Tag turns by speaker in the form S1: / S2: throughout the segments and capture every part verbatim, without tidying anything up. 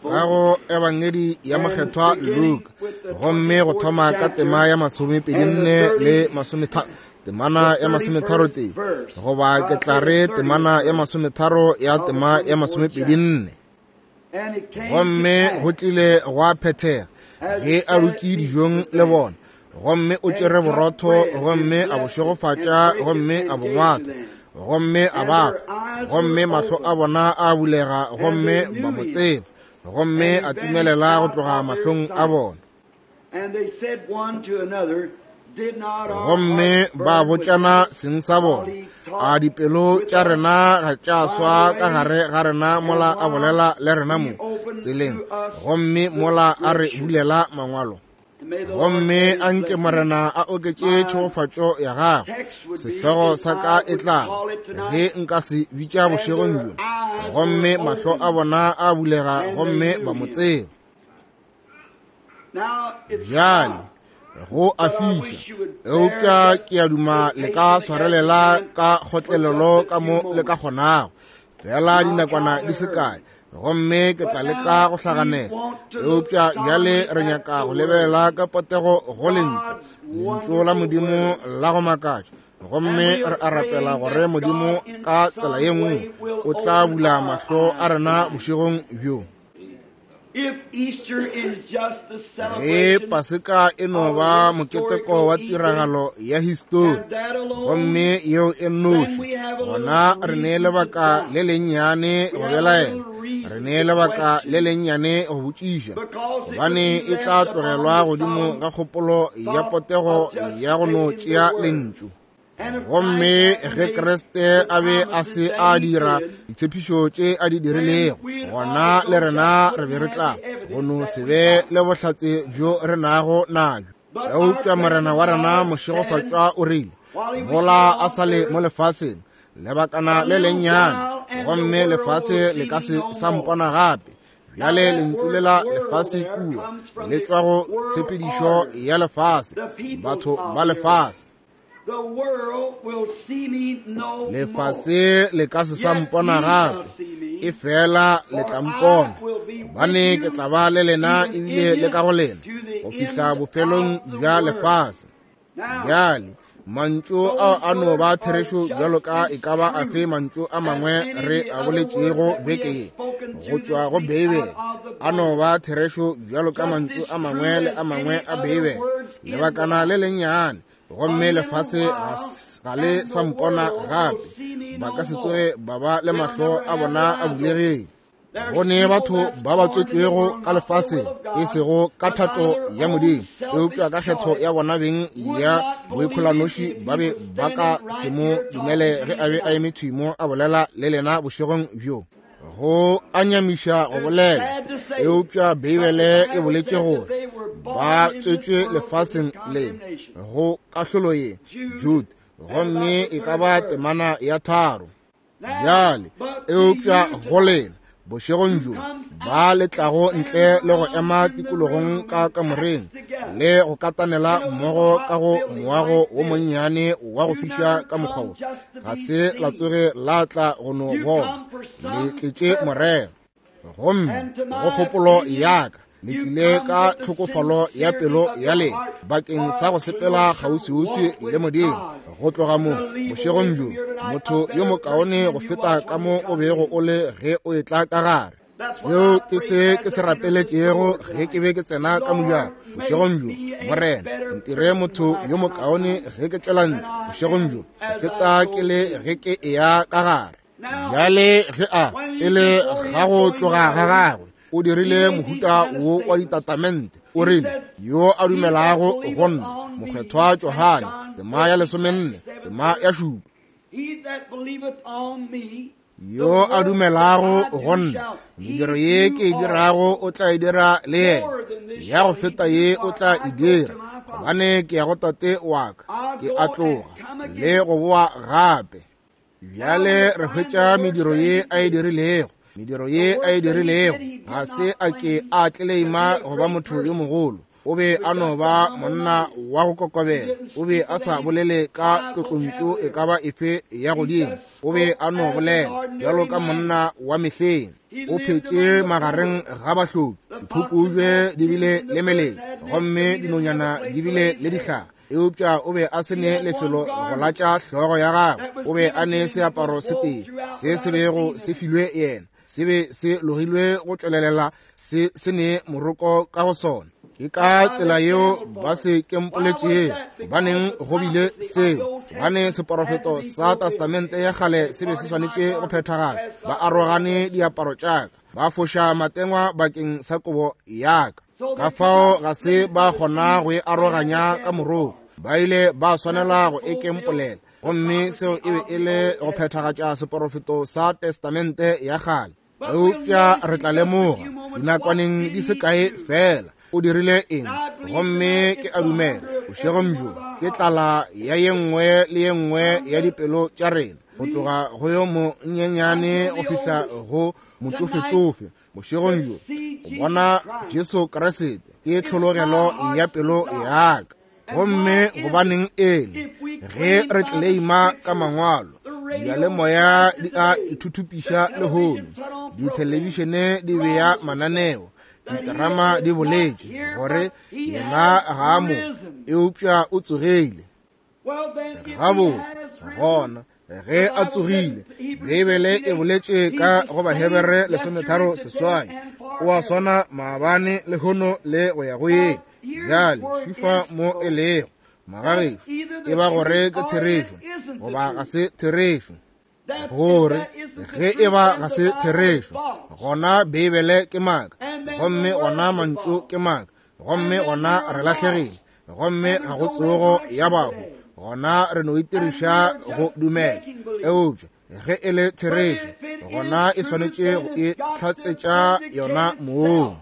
S1: Ka go Ebangedi ya Mokgethwa Luka, gomme go thoma ka tema ya masomepedi nne le masometharo, temana ya masometharo tee, goba ke tla re temana ya masometharo ya tema ya masomepedi nne. Gomme go tlile gwa phethega ge a dutše dijong le bona, gomme o tšere borotho gomme a bo šegofatša gomme a bo ngwatha gomme a ba fa, gomme mahlo a bona a bulega gomme ba mo tseba, gomme a timelela go tloga mahlong a bona. Gomme ba botšana seng sa bona, a dipelo tša rena ga tša swa ka gare ga rena mola a bolela le rena mo tseleng, gomme mola a re bulela mangwalo. Gomme a nke Morena a oketše tšhegofatšo ya gagwe. Sehlogo sa ka e tla ge nka se bitša bošegong bjo, gomme mahlo a bona a bulega gomme ba mo tseba. Bjale go a fiša, eupša ke a duma le ka swarelela ka kgotlelelo ka mo le ka kgonago, fela dinakwana di se kae, gomme ke tla leka go hlaganela. Eupša bjale re nyaka go lebelela ka potego go lentšu, lentšu la Modimo la go makatša, gomme re a rapela gore Modimo ka tsela ye nngwe o tla bula mahlo a rena bošegong bjo. Ge Paseka e no ba moketeko wa tiragalo ya histori, gomme yeo e nnoši, gona re ne lebaka le lennyane go belaela, re ne lebaka le lennyane go botšiša, gobane e tla tlogelwa godimo ga kgopolo ya potego ya go no tšea lentšu. Gomme ge Kriste a be a se a dira ditshepišo tše a di dirilego, gona le rena re be re tla go no se be le bohlatse bjo re nago nabjo. Eupša Morena wa rena mošegofatšwa o rile, mola a sa le mo lefaseng lebakana le lennyane, gomme lefase le ka se sa mpona gape. Bjale lentšu lela lefase kua le tšwa go tshepedišo ya lefase, batho ba lefase. Lefase le ka se sa mpona gape, e fela le tla mpona, gobane ke tla ba le lena ebile le ka go lena go fihla bofelong bja lefase. Bjale mantšu ao a no ba therešo bjalo ka e ka ba afe mantšu a mangwe re a boletšego beke ye go tšwa go Beibele, a no ba therešo bjalo ka mantšu a mangwe le a mangwe a Beibele. Lebakana le lennyane, gomme lefase ga le sa mpona gape, ba ka se tsoge ba ba le mahlo a bona a bulegile. Go ne batho ba ba tswetšwego ka lefaseng, e sego ka thato ya Modimo, eupša ka kgetho ya bona beng ya boikholanoši, ba be ba ka se mo dumele ge a be a eme thwi mo a bolela le lena bošegong bjo. Go a nyamiša go bolela, eupša Beibele e boletše gore ba tswetšwe lefaseng le go kahlolo ye, Jude, gomme e ka ba temana ya tharo. Bjale eupša go lena bošegong bjo ba le tlago ntle le go ema tikologong ka kamoreng le go katanela mmogo ka go moago wo monnyane wa go fiša ka mokgwa wo, ga se la tsoge la tla go no bona, le tletše morero. Gomme go kgopolo ya ka le tlile ka tlhokofalo ya pelo ya lena bakeng sa go sepela kgauswiuswi le Modimo. Go tloga mo bošegong bjo, motho yo mokaone go feta ka mo o bego o le ge o etla ka gare. Seo ke se ke se rapeletšego ge ke be ke tsena ka mojako bošegong bjo. Morena, ntire motho yo mokaone ge ke tšwela ntle bošegong bjo go feta ke le ge ke eya ka gare. Bjale ge a pele ga go tloga ga gagwe o dirile mohuta wo wa ditatamente, o rile, yo a dumelago go nna, Mokgethwa Johane, tema ya lesomenne, tema ya šupa, yo a dumelago go nna, mediro ye ke e dirago o tla e dira le yena, ya go feta ye o tla e dira, gobane ke ya go Tate wa ka, ke a tloga le go boa gape. Bjale re hwetša mediro ye a e dirilego, mediro ye a e dirilego, ga se a ke a tleleima go ba motho yo mogolo. O be a no ba monna wa go kokobela. O be a sa bolele ka tlotlontšu e ka ba efe ya godimo. O be a no bolela bjalo ka monna wa mehleng. O phetše magareng ga bahloki. Diphukubje di bile le meleng, gomme dinonyana di bile le dihlare. Eupša o be a se ne lefelo go latša hlogo ya gagwe. O be a ne seaparo se tee se se bego se filwe yena, se be se logilwe go tšwelelela se se ne moroko ka go sona. Ke ka tsela yeo ba se kempoletšego. Gobaneng go bile seo? Gobane seporofeto sa testamente ya kgale se be se swanetše go phethagala. Ba arogane diaparo tša ka, ba foša matengwa bakeng sa kobo ya ka. Ka fao ga se ba kgona go e aroganya ka moroko. Ba ile ba swanela go e kempolela, gomme seo e be e le go phethagatša seporofeto sa testamente ya kgale. Eupša re tla lemoga dinakwaneng di se kae fela o dirile eng. Gomme ke a dumela bošegong bjo ke tlala ya ye nngwe le ye nngwe ya dipelo tša rena, go tloga go yo monyenyane go fihla go motšofetšofe. Bošegong bjo go bona Jesu Kriste ke tlhologelo ya pelo ya ka. Gomme gobaneng ele ge re tleleima ka mangwalo, diyalemoya di a ithuthupiša lehono, dithelebišene di bea mananeo, diterama di boletše gore yena ga a mo, eupša o tsogile. Gabotse gona ge a tsogile, Beibele e boletše ka go Bahebere lesometharo seswai, o a swana maabane lehono le go ya go yeng. Bjale fifa mo e lego magagešo, e ba gore ke therešo goba ga se therešo. Gore ge e ba ga se therešo, gona Beibele ke maaka, gomme gona mantšu ke maaka, gomme gona re lahlegile, gomme ga go tsogo ya bahu, gona re no itiriša go dumela. Eupša ge e le therešo, gona e swanetše go e hlatsetša yona mong.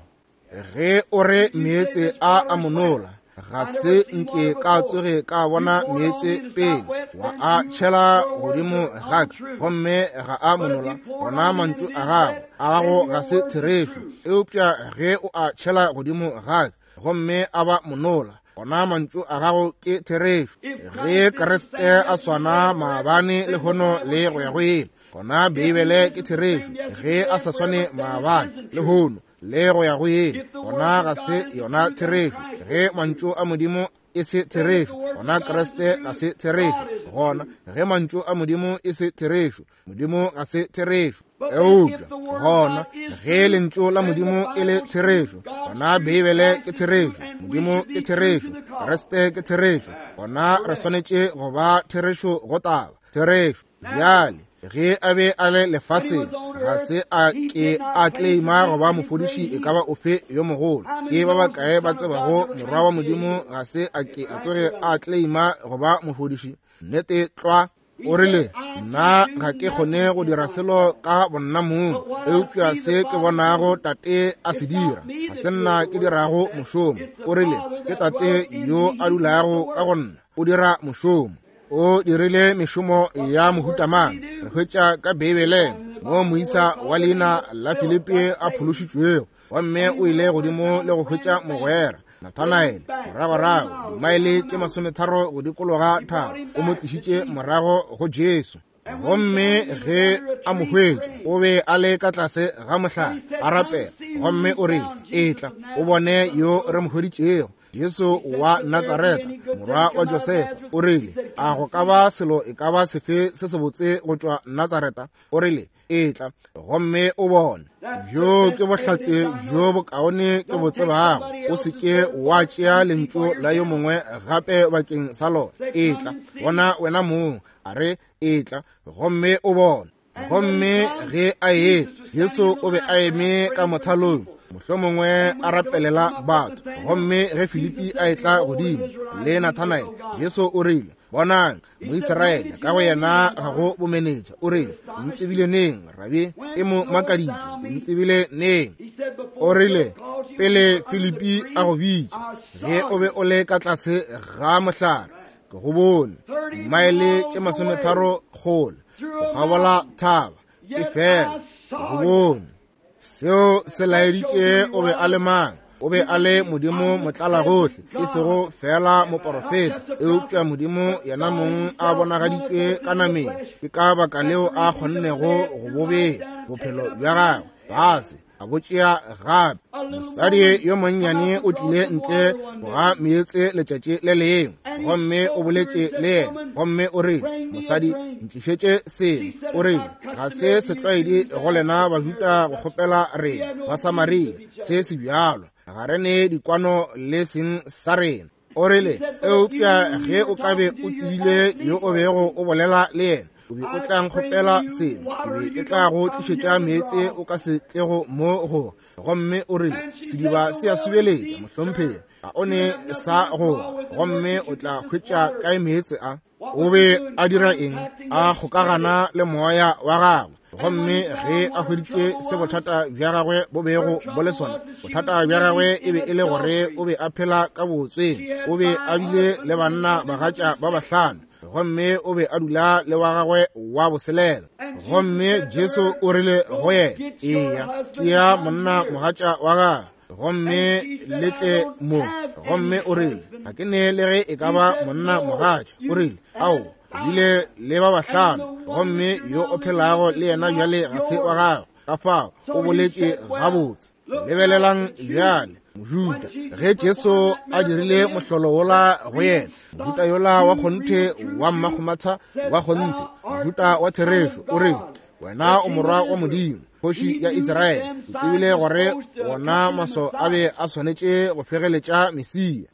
S1: Ge o re meetse a a monola, ga se nke ka tsoge ka bona meetse pele, wa a tšhela godimo ga ka, gomme ga a monola, gona mantšu a gago a gago ga se therešo. Eupša ge o a tšhela godimo ga ka, gomme a ba monola, gona mantšu a gago ke therešo. Ge Kriste a swana maabane lehono le go ya go ile, gona Beibele ke therešo. Ge a sa swane maabane lehono le go ya go ile, gona ga se yona therešo. Ge mantšu a Modimo e se therešo, gona Kriste ga se therešo. Gona ge mantšu a Modimo e se therešo, Modimo ga se therešo. Eupša gona ge lentšu la Modimo e le therešo, gona Beibele ke therešo, Modimo ke therešo, Kriste ke therešo, gona re swanetše go ba therešo go taba therešo. Bjale ge a be a le lefaseng, ga se a ke a kleima go ba mofodiši e ka ba ofe yo mogolo. Ke ba bakae ba tsebago morwa wa Modimo ga se a ke a tsoge a kleima go ba mofodiši? Nnete tlwa. O rile, nna ga ke kgone go dira selo ka bonna mong, eupša se ke bonago tate a se dira, ga se nna ke dirago mošomo. O rile, ke tate yo a dulago ka go nna, o dira mošomo. O dirile mešomo ya mohuta mang? Re hwetša ka Beibeleng mo moisa wa leina la Filipi a phološitšwego, gomme o ile godimo le go hwetša mogwera Nathanaele moragorago dimaele tše masometharo go dikologa thaba, o mo tlišitše morago go Jesu. Gomme ge a mo hwetša, o be a le ka tlase ga mohlare a rapela, gomme o rile, etla o bone yo re mo hweditšego, Jesu wa Natsaretha, morwa wa Josefa. O rile, a go ka ba selo e ka ba sefe se sebotse go tšwa Natsaretha? O rile, etla gomme o bone. Bjo ke bohlatse bjo bokaone ke bo tsebago. O se ke wa tšea lentšu la yo mongwe gape bakeng sa lona. Etla bona wena mong. A re, etla gomme o bone. Gomme ge a etla, Jesu o be a eme ka mothalong, mohlomongwe a rapelela batho. Gomme ge Filipi a etla godimo le Nathanaele, Jesu o rile, bonang Moisraele, ka go yena ga go bomenetša. O rile, o ntsebile neng, Rabi? E mo makaditše, o ntsebile neng? O rile, pele Filipi a go bitša, ge o be o le ka tlase ga mohlare, ke go bone, dimaele tše masometharo kgole, go kgabola thaba, e fela ke go bone. Seo se laeditše o be a le mang. O be a le Modimo motlalagohle, e sego fela moporofeta, eupša Modimo yena mong a bonagaditšwe ka nameng. Ke ka baka leo a kgonnego go bobea bophelo bja gagwe fase, a bo tšea gape. Mosadi yo monnyane o tlile ntle ga meetse letšatši le lengwe, gomme o boletše le yena, gomme o rile, mosadi, ntlišetše seno. O rile, ga se setlwaedi go lena Bajuda go kgopela rena Basamaria se se bjalo, ga re ne dikwano le seng sa rena. O rile, eupša ge o ka be o tsebile yo o bego o bolela le yena, o be o tla nkgopela seno, ke be ke tla go tlišetša meetse o ka se tlego mo go. Gomme o rile, sediba se a subeletša, mohlomphegi, ga o ne sa go, gomme o tla hwetša kae meetse a? O be a dira eng? A kgokagana le moya wa gagwe. Gomme ge a hweditše se bothata bja gagwe bo bego bo le sona, bothata bja gagwe e be e le gore o be a phela ka bootsweng. O be a bile le banna bagatša ba bahlano, gomme o be a dula le wa gagwe wa boselela. Gomme Jesu o rile go yena, eya, tšea monna mogatša wa gagwe, gomme le tle mo. Gomme o rile, ga ke ne le ge e ka ba monna mogatša. O rile, ao, o bile le ba bahlano, gomme yo o phelago le yena bjale ga se wa gagwe. Ka fao o boletše gabotse. Lebelelang bjale Mojuda, ge Jesu a dirile mohlolo wola go yena, Mojuda yola wa kgonthe wa mmakgomatha wa kgonthe, Mojuda wa therešo, o rile, wena o morwa wa Modimo, kgoši ya Israele. O tsebile gore wona maso a be a swanetše go fegeletša Mesia.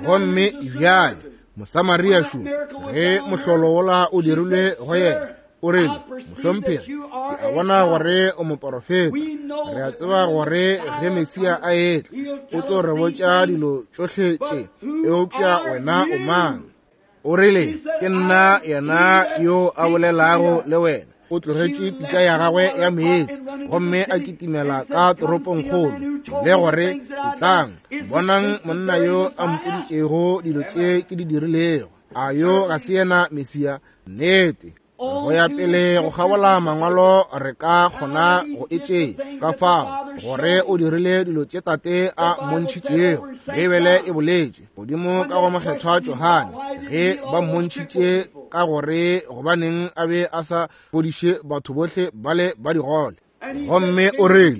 S1: Gomme bjale Mosamaria šo, ge mohlolo wola o dirilwe go yena, o rile, mohlomphegi, ke a bona gore o moporofeta. Re a tseba gore ge Mesia a etla, o tlo re botša dilo tšohle tše, eupša wena o mang? O rile, ke nna yena yo a bolelago le wena. O tlogetše pitša ya gagwe ya meetse, gomme a kitimela ka toropongkgolo, le gore, etlang, bonang monna yo a mpoditšego dilo tše ke di dirilego. A yo ga se yena Mesia? Nnete. Go ya pele go kgabola mangwalo re ka kgona go e tšea ka fao gore o dirile dilo tše Tate a mmontšhitšego. Beibele e boletše godimo ka go mokgethwa Johane ge ba mmontšhitše ka gore gobaneng a be a sa fodiše batho bohle bale ba digole. Gomme o rile,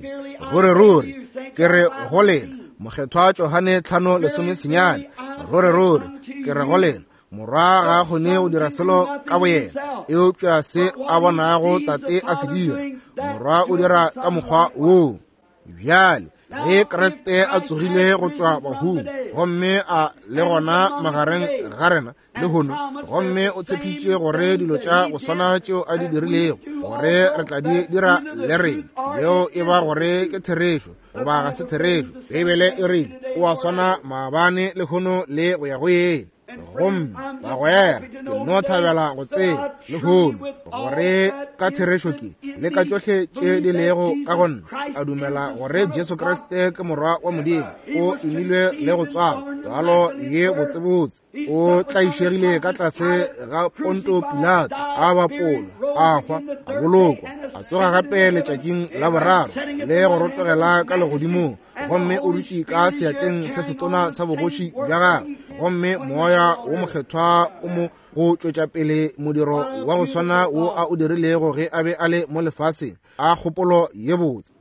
S1: ruri ruri ke re go lena, mokgethwa Johane tlhano lesome senyane, ruri ruri ke re go lena, morwa ga a kgone go dira selo ka boyena, eupša se a bonago Tate a se dira, morwa o dira ka mokgwa woo. Bjale ge Kriste a tsogile go tšwa bahung, gomme a le gona magareng ga rena lehono, gomme o tshepišitše gore dilo tša go swana tšeo a di dirilego gore re tla di dira le rena, yeo e ba gore ke therešo goba ga se therešo. Beibele e rile o a swana maabane, lehono le go ya go yele. Gomme bagwera, ke no thabela go tseba lehono gore ka therešo ke le ka tšohle tše di lego ka go nna, a dumela gore Jesu Kriste ke morwa wa Modimo, o imilwe le go tswalwa tswalo ye botsebotse, o tlaišegile ka tlase ga Ponto Pilato, a bapolwa, a hwa, a bolokwa, a tsoga gape letšatšing la boraro le go rotogela ka legodimong, gomme o dutše ka seatleng se setona sa bogoši bja gagwe, gomme moya wo mokgethwa o mo go tšwetša pele modiro wa go swana wo a o dirilego ge a be a le mo lefaseng. A kgopolo ye botse,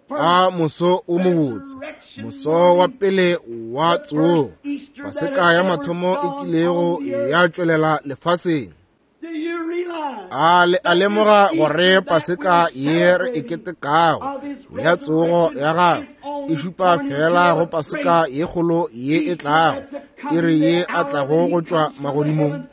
S1: a moso o mobotse, moso wa pele wa tsogo, Paseka ya mathomo e kilego ya tšwelela lefaseng. A le a lemoga gore Paseka ye re e ketekago ya tsogo ya gagwe e šupa fela go Paseka ye kgolo ye e tlago, e re ye a tlago go tšwa magodimong,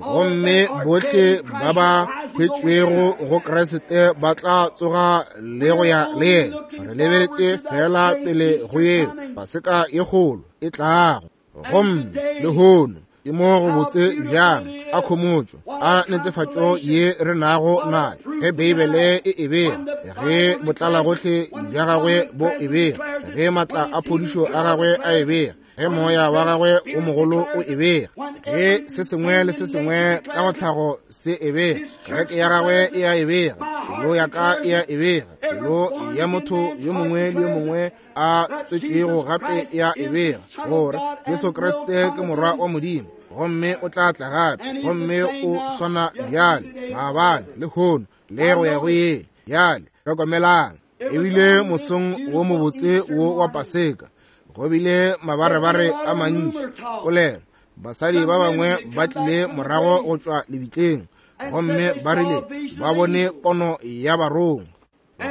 S1: gomme bohle ba ba hwetšwego go Kriste ba tla tsoga le go ya le yena. Re lebeletše fela pele go yeo Paseka ye kgolo e tlago. Gomme lehono ke mo go botse bjang, a khomotšo, a netefatšo ye re nago nayo ge Beibele e e bega, ge botlalagohle bja gagwe bo e bega, ge maatla a phodišo a gagwe a e bega, ge moya wa gagwe o mogolo o e bega, ge se sengwe le se sengwe ka go tlhago se e bega, kereke ya gagwe e a e bega, pelo ya ka e a e bega, pelo Pelo ya motho yo mongwe le yo mongwe a tswetšwego gape ya e bega gore Jesu Kriste ke Morwa wa Modimo, gomme o tla tla gape, gomme o swana bjale, maabane, lehono, le go ya go ile. Bjale hlokomelang, ebile mosong wo mobotse wo wa Paseka, go bile mabarebare a mantši polelo. Basadi ba bangwe ba tlile morago go tšwa lebitleng, gomme ba rile ba bone pono ya barongwa,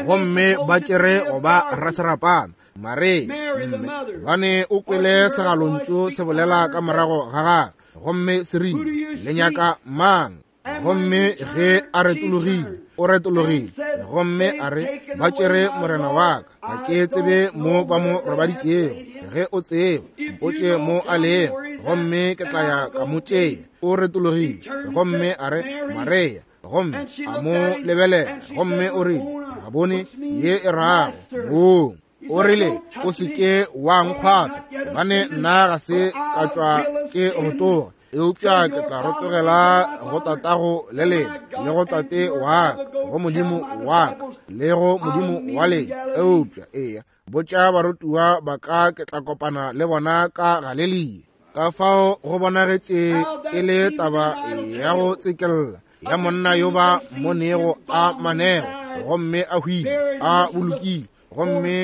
S1: gomme ba tšere go ba raserapana Maria, mme gobane o kwele segalontšu se bolela ka morago ga gagwe, gomme se rile, le nyaka mang? Gomme ge a retologile, o retologile, gomme a re, ba tšere morena wa ka, ga ke tsebe mo ba mo robaditšego. Ge o tseba, mpotše mo a lego, gomme ke tla ya ka mo tšea. O retologile, gomme a re, Maria, gomme a mo lebelela, gomme o rile, Rabone, ye e rago mong. O rile, o se ke wa nkgwatha, gobane nna ga se ka tšwa ke rotoga, eupša ke tla rotogela go tatago le lena, le go tate wa ka, go Modimo wa ka, le go Modimo wa lena. Eupša eya, botša barutiwa ba ka ke tla kopana le bona ka Galelia. Ka fao go bonagetše e le taba ya go tsekella ya monna yo ba monego a manego, gomme a hwile a bolokile, gomme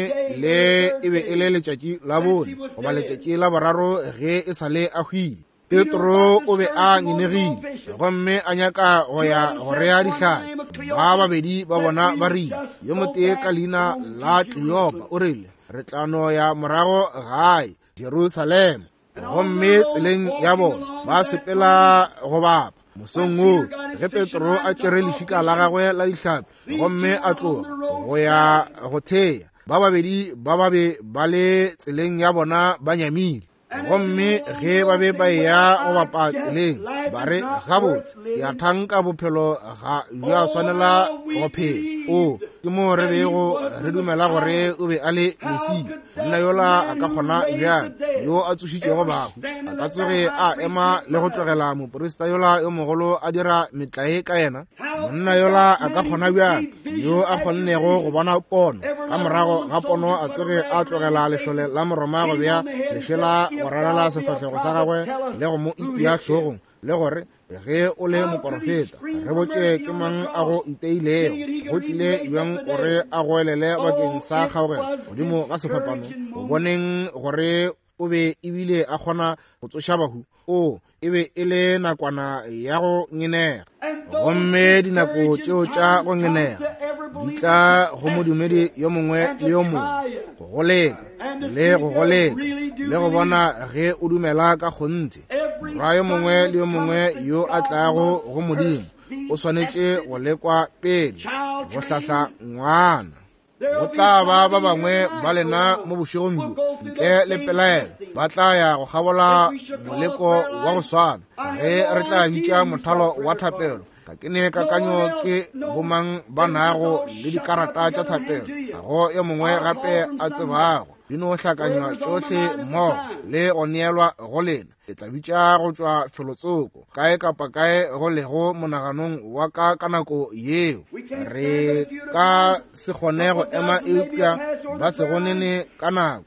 S1: le e be e le letšatši la bone goba letšatši la boraro ge e sa le a hwile. Petro o be a ngenegile, gomme a nyaka go ya go rea dihlapi. Ba babedi ba bona ba rile, yo motee ka leina la Kleopa o rile, re tla no ya morago gae Jerusalema. Gomme tseleng ya bona ba sepela go bapa. Mosong woo ge Petro a tšere lešika la gagwe la dihlapi gomme a tloga go ya go thea, ba babedi ba ba be ba le tseleng ya bona ba nyamile. Gomme ge ba be ba eya go bapa tseleng, ba re, gabotse, ya thanka bophelo ga bja swanela go phela. O ke mo re bego re dumela gore o be a le Mesia. Monna yola a ka kgona bjang, yo a tsošitšego bahu, a ka tsoge a ema le go tlogela moprista yola yo mogolo a dira metlae ka yena? Monna yola a ka kgona bjang, yo a kgonnego go bona pono, ka morago ga pono a tsoge a tlogela lešole la Moroma go bea lešela go rarela sefahlego sa gagwe le go mo itia hlogong, le gore ge o le moporofeta, re botše ke mang a go iteilego, go tlile bjang gore a goelele bakeng sa kgaogelo godimo ga sefapano, go boneng gore o be ebile a kgona go tsoša bahu. O e be e le nakwana ya go ngenega, gomme dinako tšeo tša go ngenega di tla go modumedi yo mongwe le yo mongwe, go go leka le go go leka le go bona ge o dumela ka kgonthe. Morwa yo mongwe le yo mongwe yo a tlago go Modimo o swanetše go lekwa pele go hlahla ngwana. Go tla ba ba bangwe ba lena mo bošegong bjo, ntle le pelaelo, ba tla ya go kgabola moleko wa go swana ge re tla bitša mothalo wa thapelo. Ga ke ne kakanyo ke bomang ba nago le dikarata tša thapelo, ga go yo mongwe gape a tsebago. Di no hlakanywa tšohle mmogo le go neelwa go lena. Ke tla bitša go tšwa felotsoko, kae kapa kae go lego monaganong wa ka ka nako yeo. Re ka se kgone go ema eupša ba se go nene ka nako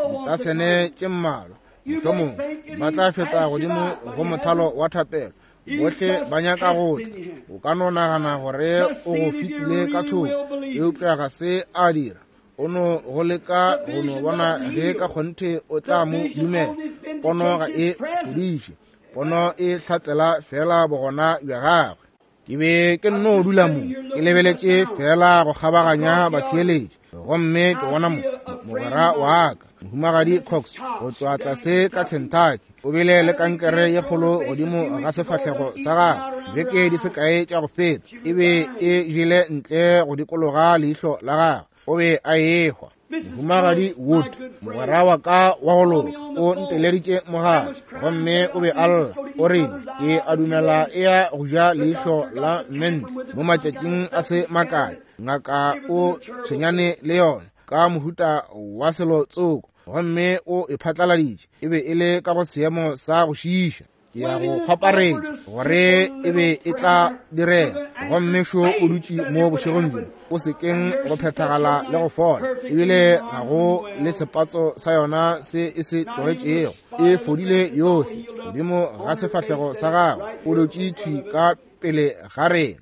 S1: ditasene tše mmalwa, mohlomongwe ba tla feta godimo go mothalo wa thapelo. Bohle ba nyaka go tla. O ka no nagana gore o go fetile ka thoko, eupša ga se a dira. O no go leka go no bona ge ka kgonthe o tla mo dumela. Pono ga e fodiše, pono e hlatsela fela bogona bja gagwe. Ke be ke nno dula mo, ke lebeletše fela go kgabaganya batheeletši, gomme ke bona mo mogwera wa ka, Mohumagadi Cox, go tšwa tlase ka Kentucky, o bile le kankere ye kgolo godimo ga sefahlego sa gagwe beke di se kae tša go feta. E be e jele ntle go dikologa leihlo la gagwe, o be a ehwa. Mohumagadi Wood, mogwera wa ka wa go loka, o nteleditše mogala, gomme o be a lla. O rile, ke a dumela e ya go ja leihlo la mente mo matšatšing a se makae. Ngaka o tshwenyane le yona ka mohuta wa selo tsoko, gomme o e phatlaladitše. E be e le ka go seemo sa go šiiša. Ke ya go kgwaparetša gore e be e tla direga. Gomme šo o dutše mo bošegong bjo, o sekeng go phethagala le go fola, ebile ga go le sepatso sa yona se e se tlogetšego. E fodile yohle godimo ga sefahlego sa gagwe, o dutše thwi ka pele ga rena.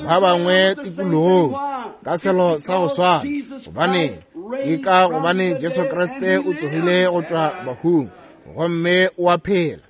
S1: Ba bangwe tikologong ka selo sa go swana. Gobane ke ka gobane Jesu Kriste o tsogile go tšwa bahung gomme o a phela.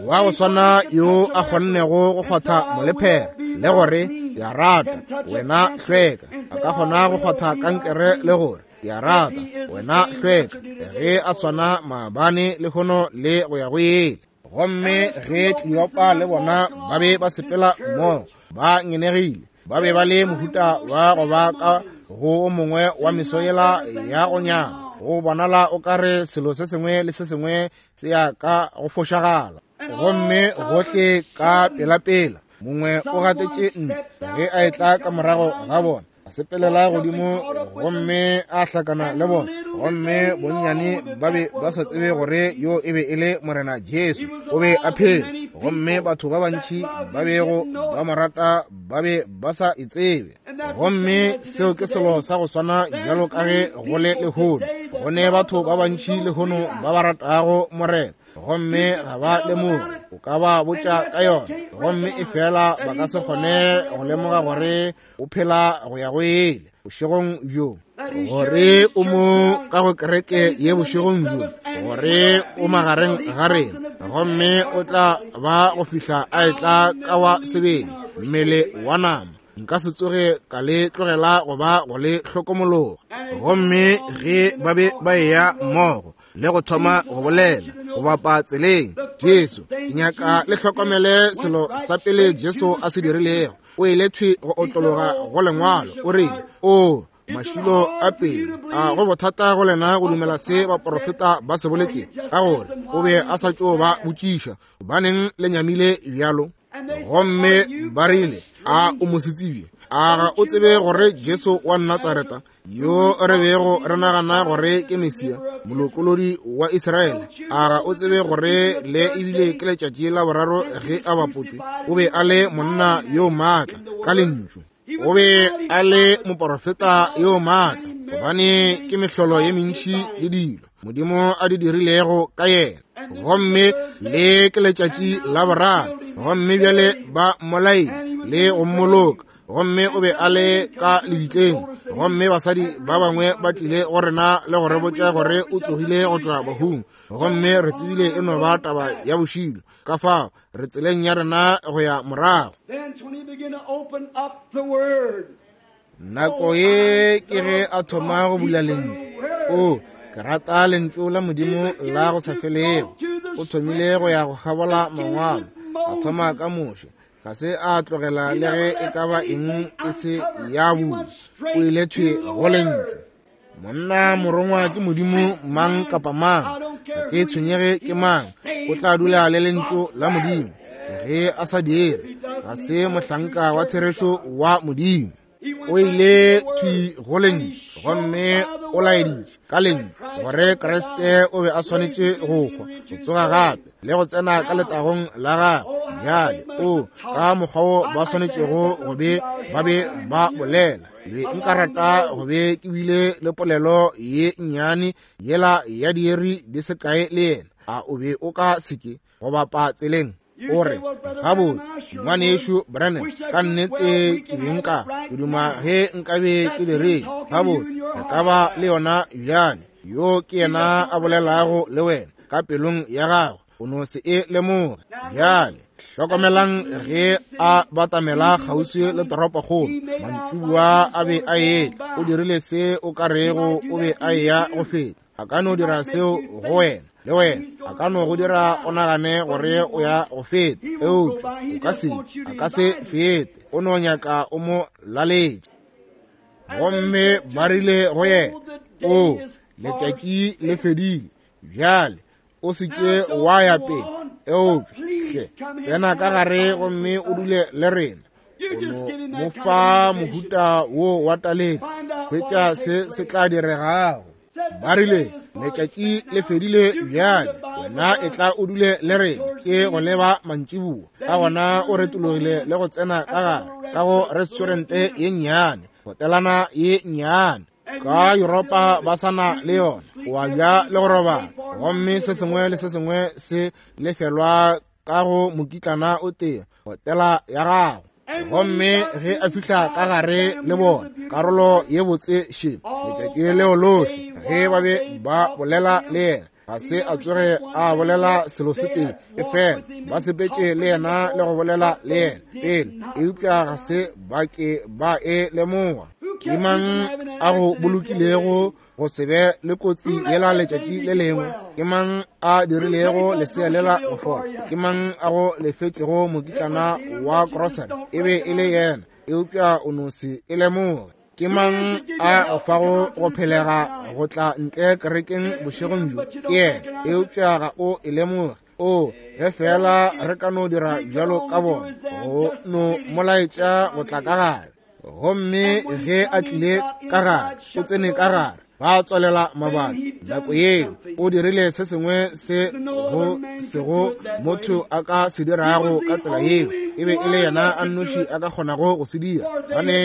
S1: Wa go swana yo a kgonnego go kgwatha molephera le gore ke a rata wena hlweka, a ka kgona go kgwatha kankere le gore ke a rata wena hlweka, ge a swana maabane le lehono le go ya go ile. Gomme ge Kleopa le bona ba be ba sepela mmogo, ba ngenegile, ba be ba le mohuta wa go ba ka go o mongwe wa meso yela ya go nyama, go bonala o ka re selo se sengwe le se sengwe se ya ka go fošagala. Gomme gohle ka pelapela mongwe o gatetše ntle ge a etla ka morago ga bona, a sepelela godimo gomme a hlakana le bona. Gomme bonnyane ba be ba sa tsebe gore yo e be e le Morena Jesu, o be a phela. Gomme batho ba bantši ba bego ba mo rata ba be ba sa e tsebe. Gomme seo ke selo sa go swana bjalo ka ge go le lehono. Go ne batho ba bantši lehono ba ba ratago Morena, gomme ga ba lemoge. O ka ba botša ka yona, gomme e fela ba ka se kgone go lemoga gore o phela go ya go ile bošegong bjo, gore o mo ka go kereke ye bošegong bjo, gore o magareng ga rena, gomme o tla ba go fihla a etla ka wa sebele mmele wa nama. Nka se tsoge ka le tlogela go ba go le hlokomologa. Gomme ge ba be ba eya mmogo le go thoma go bolela go bapa tseleng, Jesu, ke nyaka le hlokomele selo sa pele Jesu a se dirilego. O ile thwi go otlologa go lengwalo, o rile, o mašilo a pele, a go bothata go lena go dumela se baporofeta ba se boletšego, ka gore o be a sa tšo ba botšiša, gobaneng le nyamile bjalo? Gomme ba rile, a o mosetsebje? A ga o tsebe gore Jesu wa Natsareta, yo re bego re nagana gore ke Mesia, molokolodi wa Israele, a ga o tsebe gore le ebile ke letšatši la boraro ge a bapotšwe? O be a le monna yo maatla ka lentšu, o be a le moporofeta yo maatla, gobane ke mehlolo ye mentši le dilo Modimo a di dirilego ka yena. Gomme le ke letšatši la boraro, gomme bjale ba mmolaile le go mmoloka, gomme o be a le ka lebitleng. Gomme basadi ba bangwe ba tlile go rena le go re botša gore o tsogile go tšwa bahung, gomme re tsebile e no ba taba ya bošilo. Ka fao re tseleng ya rena go ya morago. Nako ye ke ge a thoma go bula lentšu. O, ke rata lentšu la Modimo la go sa felego. O thomile go ya go kgabola mangwalo, a thoma ka Moshe, ga se a tlogela le ge e ka ba eng e se ya bula. O ile thwi go lentšu. Monna morongwa ke Modimo mang kapa mang, ga ke tshwenyege ke mang, o tla dula le lentšu la Modimo. Ge a sa dire, ga se mohlanka wa therešo wa Modimo. O ile thwi go lentšu, gomme o laeditše ka lentšu gore Kriste o be a swanetše go hwa, go tsoga gape le go tsena ka letagong la gagwe. Bjale o ka mokgwa wo ba swanetšego go be ba be ba bolela. Be nka rata go be ke bile le polelo ye nnyane yela ya dieri di se kae le yena. A o be o ka seke go bapa tseleng? O re, gabotse ngwanešu Branham, ka nnete ke be nka ke duma ge nkabe ke dirile. Gabotse re ka ba le yona bjale. Yo ke yena a bolelago le wena ka pelong ya gago, o no se e lemoge. Bjale hlokomelang ge a batamela kgauswi le toropokgolo, mantšibua a be a etla. O dirile se o ka rego o be a eya go feta. A ka no dira seo go wena le wena, a ka no go dira o nagane gore o ya go feta, eupša o ka se, a ka se fete. O no nyaka o mo laletše. Gomme ba rile go yena, o letšatši le fedile bjale, o se ke wa ya pele, eupša hle tsena ka gare gomme o dule le rena. O no mo fa mohuta wo wa taletšo, hwetša se se tla diregago. Ba rile, letšatši le fedile bjale, wena e tla o dule le rena. Ke go leba mantšiboa. Ka gona o retologile le go tsena ka gare ka go restaurante ye nnyane, hotelana ye nnyane. Ka Yuropa ba sa na le yona, o a ja le go robala, gomme se sengwe le se sengwe se lefelwa ka go mokitlana o tee, hotela ya gago. Gomme ge a fihla ka gare le bona karolo ye botse še letšatši leo lohle ge ba be ba bolela le yena, ga se a tsoge a bolela selo se tee, efela ba sepetše le yena le go bolela le yena pele, eupša ga se ba ke ba e lemoga. Ke mang a go bolokilego go se be le kotsi yela letšatši le lengwe? Ke mang a dirilego lesea lela go fola? Ke mang a go lefetšego mokitlana wa grocery? E be e le yena, eupša o no se e lemoge. Ke mang a go fago go phelega go tla ntle kerekeng bošegong bjo? Ke yena, eupša ga o e lemoge. O, ge fela re ka no dira bjalo ka bona, go no molaetša go tla ka gare. Gomme ge a tlile ka gare, o tsene ka gare, ba tswalela mabati. Nako yeo o dirile se sengwe se go sego motho a ka se dirago ka tsela yeo. E be e le yena a nnoši a ka kgonago go se dira, gobane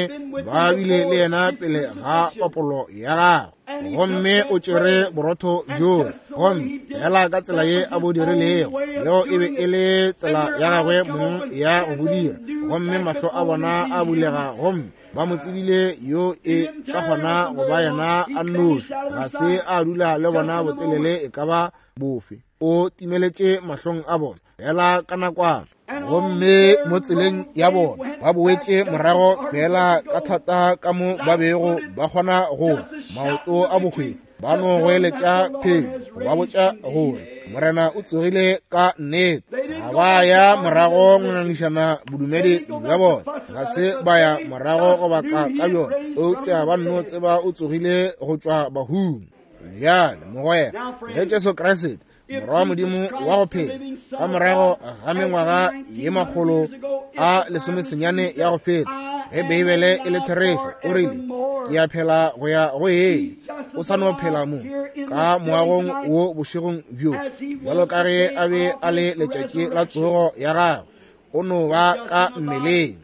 S1: ba bile le yena pele ga papolo ya gagwe. Gomme o tšere borotho bjoo, gomme fela ka tsela ye a bo dirilego, yeo e be e le tsela ya gagwe mong ya go bo dira. Gomme mahlo a bona a bulega, gomme ba mo tsebile yo e ka kgona go ba yena a nnoši. Ga se a dula le bona botelele e ka ba bofe, o timeletše mahlong a bona fela ka nakwana. Gomme mo tseleng ya bona ba boetše morago fela ka thata ka mo ba bego ba kgona go maoto a bohwefo, ba no goeletša phelo go ba botša gore Morena o tsogile ka nnete. Ga ba ya morago go ngangišana bodumedi bja bona, ga se ba ya morago go baka ka bjona, eupša ba nno tseba o tsogile go tšwa bahung. Bjale mogwera, ge Jesu Kriste Morwa wa Modimo wa go phela ka morago ga mengwaga ye makgolo a lesomesenyane ya go feta, ge Beibele e le therešo, o rile, ke a phela go ya go eng, o sa no phela mo ka moagong wo bošegong bjo, bjalo ka ge a be a le letšatši la tsogo ya gagwe, o no ba ka mmeleng.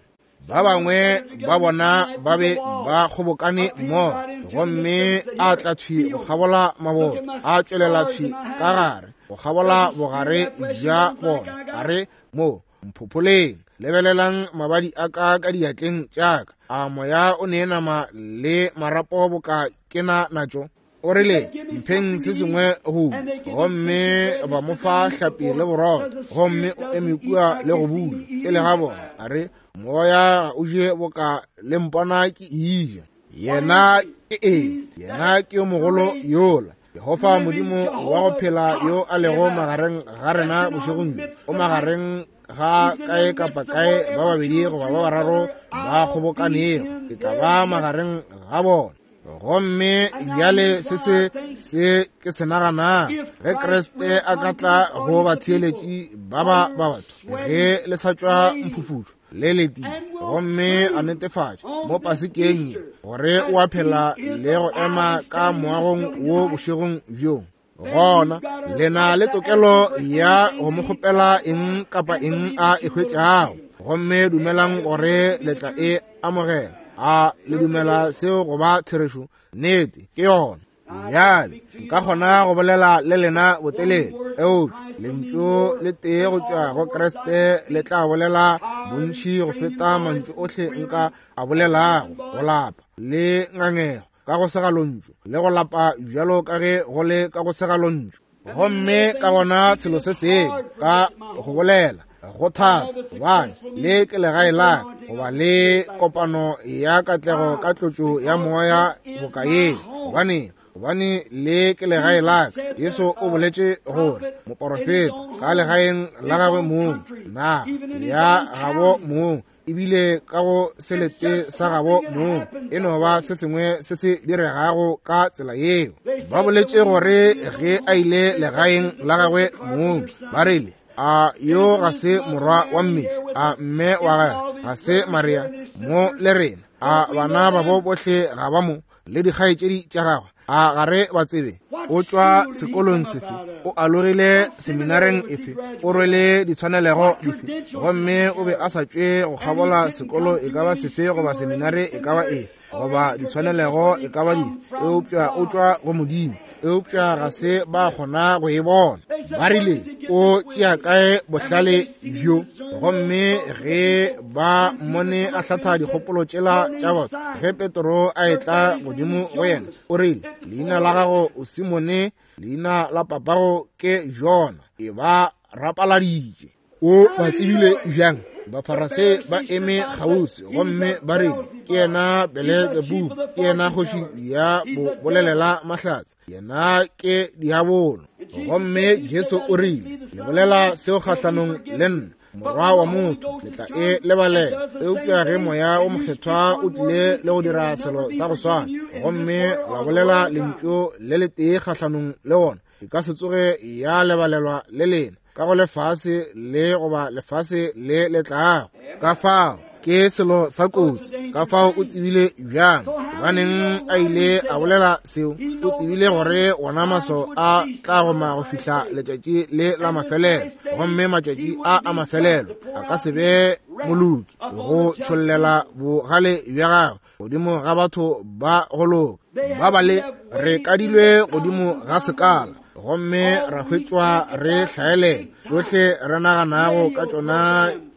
S1: Ba bangwe ba bona ba be ba kgobokane mmogo, gomme a tla thwi go kgabola maboto, a tšwelela thwi ka gare go kgabola bogare bja bona, a re, mo mphopholeng, lebelelang mabadi a ka ka diatleng tša ka, a moya o ne nama le marapo boka ke na natšo. O rile, mpheng se sengwe go, gomme ba mo fa hlapi le borotho, gomme o eme kua le go bula pele ga bona, a re, moya o je boka le mpona ke eja. Yena ke eng? Yena ke yo mogolo yola, Jehofa Modimo wa go phela yo a lego magareng ga rena bošegong bjo. O magareng ga kae kapa kae ba babedi goba ba bararo ba kgobokanego, ke tla ba magareng ga bona. Gomme bjale se se se ke se naganang, ge Kriste a ka tla go batheeletši ba ba ba batho, ge le sa tšwa mphufutšo le letile, gomme a netefatša mo pasekeng ye gore o a phela le go ema ka moagong wo bošegong bjo, gona le na le tokelo ya go mo kgopela eng kapa eng a e hwetšago, gomme dumelang gore le tla e amogela. A le dumela seo go ba therešo? Nnete ke yona. Bjale nka kgona go bolela le lena botelele, eupša lentšu le tee go tšwa go Kriste le tla bolela bontši go feta mantšu ohle nka a bolelago. Go lapa le ngangego ka go segalontšu, le go lapa bjalo ka ge go le ka go segalontšu. Gomme ka gona selo se sengwe ka go bolela go thata, gobane le ke legae la ka, goba le kopano ya katlego ka tlotšo ya moya boka yeo, gobane gobane le ke legae la ka. Jesu o boletše gore moporofeta ka legaeng la gagwe mong, naga ya gabo mong, ebile ka go selete sa gabo mong, e no ba se sengwe se se diregago ka tsela yeo. Ba boletše gore ge a ile legaeng la gagwe mong, ba rile, a yo ga se morwa wa mmetli, a mme wa gagwe ga se Maria mo le rena, a bana babo bohle ga ba mo, le dikgaetšedi tša gagwe A ga re ba tsebe? O tšwa sekolong sefe? O alogile seminareng efe? O rwele ditshwanelego dife? Gomme o be a sa tšwe go kgabola sekolo e ka ba sefe goba seminare e ka ba efe goba ditshwanelego e ka ba dife, eupša o tšwa go Modimo. Eupša ga se ba kgona go e bona. Ba rile, o tšea kae bohlale bjo? Gomme ge ba mmone a hlatha dikgopolo tšela tša batho, ge Petro a etla godimo go yena, o rile, leina la gago o Simone, leina la papago ke Jona. E ba rapaladitše. O ba tsebile bjang? Bafarasei ba eme kgauswi gomme ba rile, ke yena Beletsebubu, ke yena kgoši ya bo bolelela mahlatse, yena ke diabolo. Gomme Jesu o rile, le bolela seo kgahlanong le nna, Morwa wa motho, le tla e lebalela. Eupša ge Moya o Mokgethwa o tlile le go dira selo sa go swana, gomme la bolela lentšu le letee kgahlanong le wona, e ka se tsoge ya lebalelwa le lena ka go lefase le goba lefase le le tlago. Ka fao ke selo sa kotsi. Ka fao o tsebile bjang? Gobaneng a ile a bolela seo? O tsebile gore wona maso a tla goma go fihla letšatši le la mafelelo, gomme matšatši a a mafelelo a ka se be moloki go tšhollela bogale bja gagwe godimo ga batho ba go loka. Ba bale re kadilwe godimo ga sekala, gomme ra hwetšwa re hlaelela. Tšohle re naganago ka tšona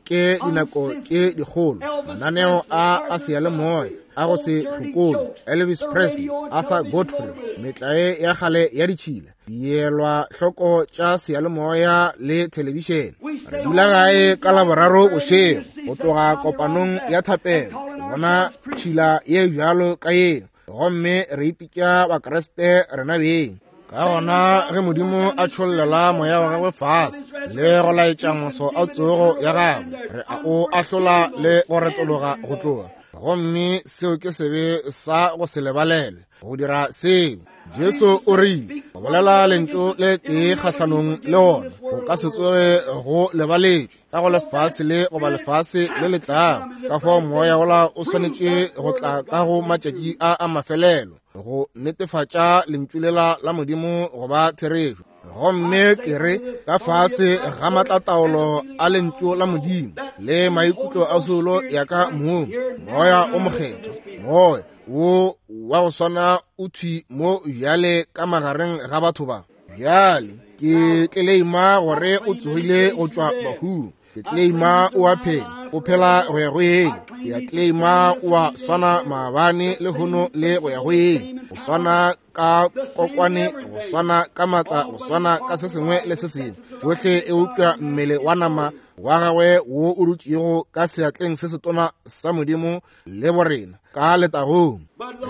S1: ke dinako tše dikgolo, mananeo a a seyalemoya a go se hlokolo, Elvis Presley, Arthur Godfrey, metlae ya kgale ya ditšhila, dielwa hloko tša seyalemoya le thelebišene. Re dula gae ka Laboraro bošego go tloga kopanong ya thapelo, bona tšhila ye bjalo ka yeo, gomme re ipitša Bakriste rena beng. Ka gona ge Modimo a tšhollela moya wa gagwe fase le go laetša moso a tsogo ya gagwe, re a o ahlola le go retologa go tloga. Gomme seo ke sebe sa go se lebalelwe go dira seo. Jesu o rile, go bolela lentšu le tee kgahlanong le wona go ka se tsoge go lebaletšwe ka go lefase le goba lefase le le tlago. Ka fao moya wola o swanetše go tla ka go matšatši a a mafelelo go netefatša lentšu lela la Modimo goba therešo. Gomme ke re ka fase ga matlataolo a lentšu la Modimo le maikutlo a soulo ya ka mong, moya o mokgethwa, moya wo wa go swana o thwi mo bjale ka magareng ga batho ba. Bjale ke tleleima gore o tsogile go tšwa bahung. Ke tleleima o a phela, o phela go ya go ile. Ke a tleleima o a swana maabane le hono le go ya go ile. Go swana ka kokwane, go swana ka matla, go swana ka se sengwe le se sengwe. Tšohle eupša mmele wa nama wa gagwe wo o dutšego ka seatleng se setona sa Modimo le borena ka letagong.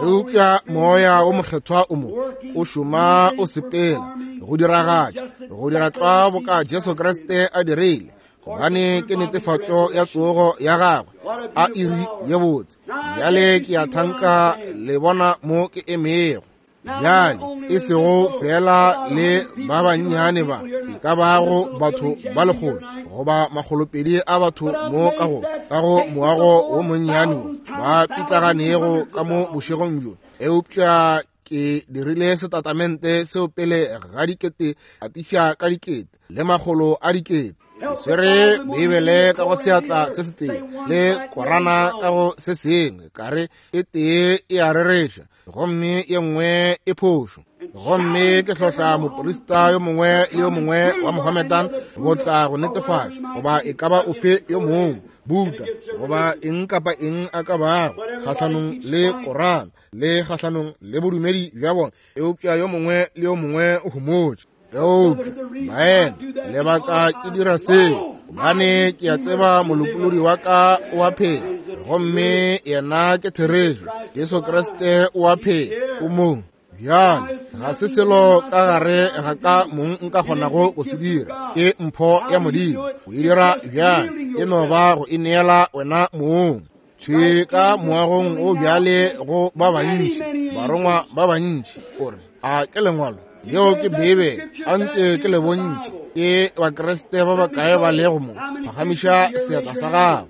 S1: Eupša moya o mokgethwa o mo o šoma o sepela go diragatša, go dira tlwa boka Jesu Kriste a dirile, gobane ke netefatšo ya tsogo ya gagwe. A iri ye botse. Bjale ke a thanka le bona mo ke emego. Bjale e sego fela le ba bannyane ba e ka bago batho ba lekgolo goba makgolopedi a batho mo ka go ka go moago wo monnyane wo ba pitlaganego ka mo bošegong bjo, eupša ke dirile setatamente seo pele ga dikete atiša ka dikete le makgolo a dikete. Ke swere Beibele ka go seatla se setee le Korana ka go se sengwe, ka re e tee e a rereša gomme ye nngwe e phošo. Gomme ke hlohla moprista yo mongwe le yo mongwe wa Mohammedan go tla go netefatša goba e ka ba ofe yo mongwe, Buddha goba eng kapa eng a ka bago kgahlanong le Korana le kgahlanong le bodumedi bja bona, eupša yo mongwe le yo mongwe o homotše. Eupša baena, lebaka ke dira seo gobane ke a tseba molopolodi wa ka o a phela, gomme yena ke therešo. Jesu Kriste o a phela, o mong. Bjale ga se selo ka gare ga ka mong nka kgonago go se dira, ke mpho ya Modimo go e dira. Bjale e no ba go e neela wena mong. Thwi ka moagong o bjale go ba bantši, barongwa ba bantši, o re, a ke lengwalo yeo ke Beibele, a nke ke le bontši ke Bakriste ba bakae ba lego mo, phagamiša seatla sa gago.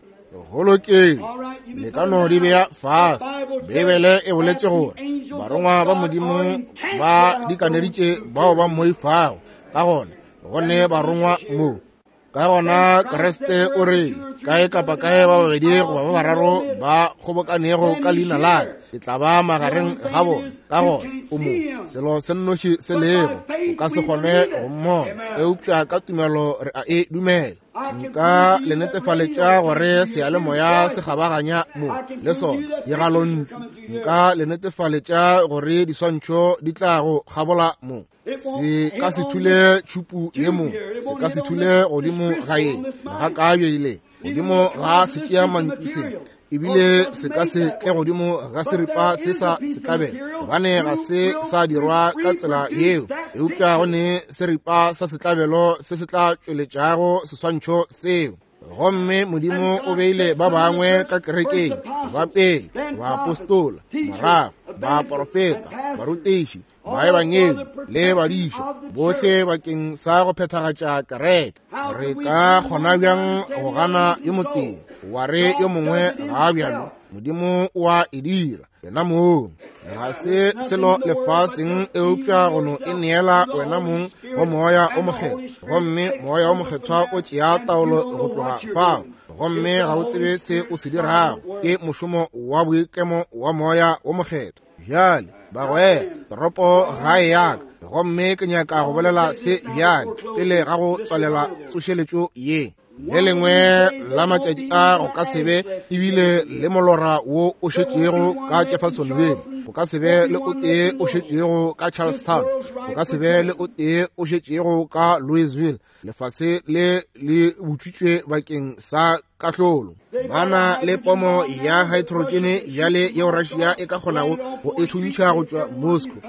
S1: Go lokile, le ka no di bea fase. Beibele e boletše gore barongwa ba Modimo ba dikaneditše bao ba mmoifago. Ka gona go ne barongwa mo. Ka gona Kriste o re kae kapa kae ba babedi goba ba bararo ba kgobokanego ka leina la ka, ke tla ba magareng ga bona. Ka gona o mo, selo se nnoši se lego, o ka se kgone go mmona, eupša ka tumelo re a e dumela. Nka le netefaletša gore seyalemoya se kgabaganya mo le sona digalontšu. Nka le netefaletša gore diswantšho di tla go kgabola mo. Se ka se thule tšhupu ye mo, se ka se thule godimo ga ye ga ka bjeile godimo ga se tšea mantšu se, ebile se ka se tle godimo ga seripa se sa setlabelo, gobane ga se sa dirwa ka tsela yeo. Eupša go ne seripa sa setlabelo se se tla tšweletšago seswantšho seo. Gomme Modimo o beile ba bangwe ka kerekeng, ba pele baapostola, morago baprofeta, barutiši, baebangedi le badiša, bohle bakeng sa go phethagatša kereke. Re ka kgona bjang go gana yo motee wa re yo mongwe ga bjalo? Modimo o a e dira yena mong. Ga se selo lefaseng eupša go no e neela wena mong go Moya o Mokgethwa, gomme Moya o Mokgethwa o tšea taolo go tloga fao, gomme ga o tsebe se o se dirago. Ke mošomo wa boikemo wa Moya o Mokgethwa. Bjale bagwera, toropo gae ya ka, gomme ke nyaka go bolela se bjale pele ga go tswalela tsošeletšo ye. Le lengwe la matšatši a go ka se be ebile le molora wo o šetšego ka Jeffersonville, go ka se be le o tee o šetšego ka Charlestown, go ka se be le o tee o šetšego ka Louisville. Lefase le le butšwitšwe bakeng sa kahlolo. Ba na le pomo ya hydrogen bjale yeo Russia e ka kgonago go e thuntšha go tšwa Moscow,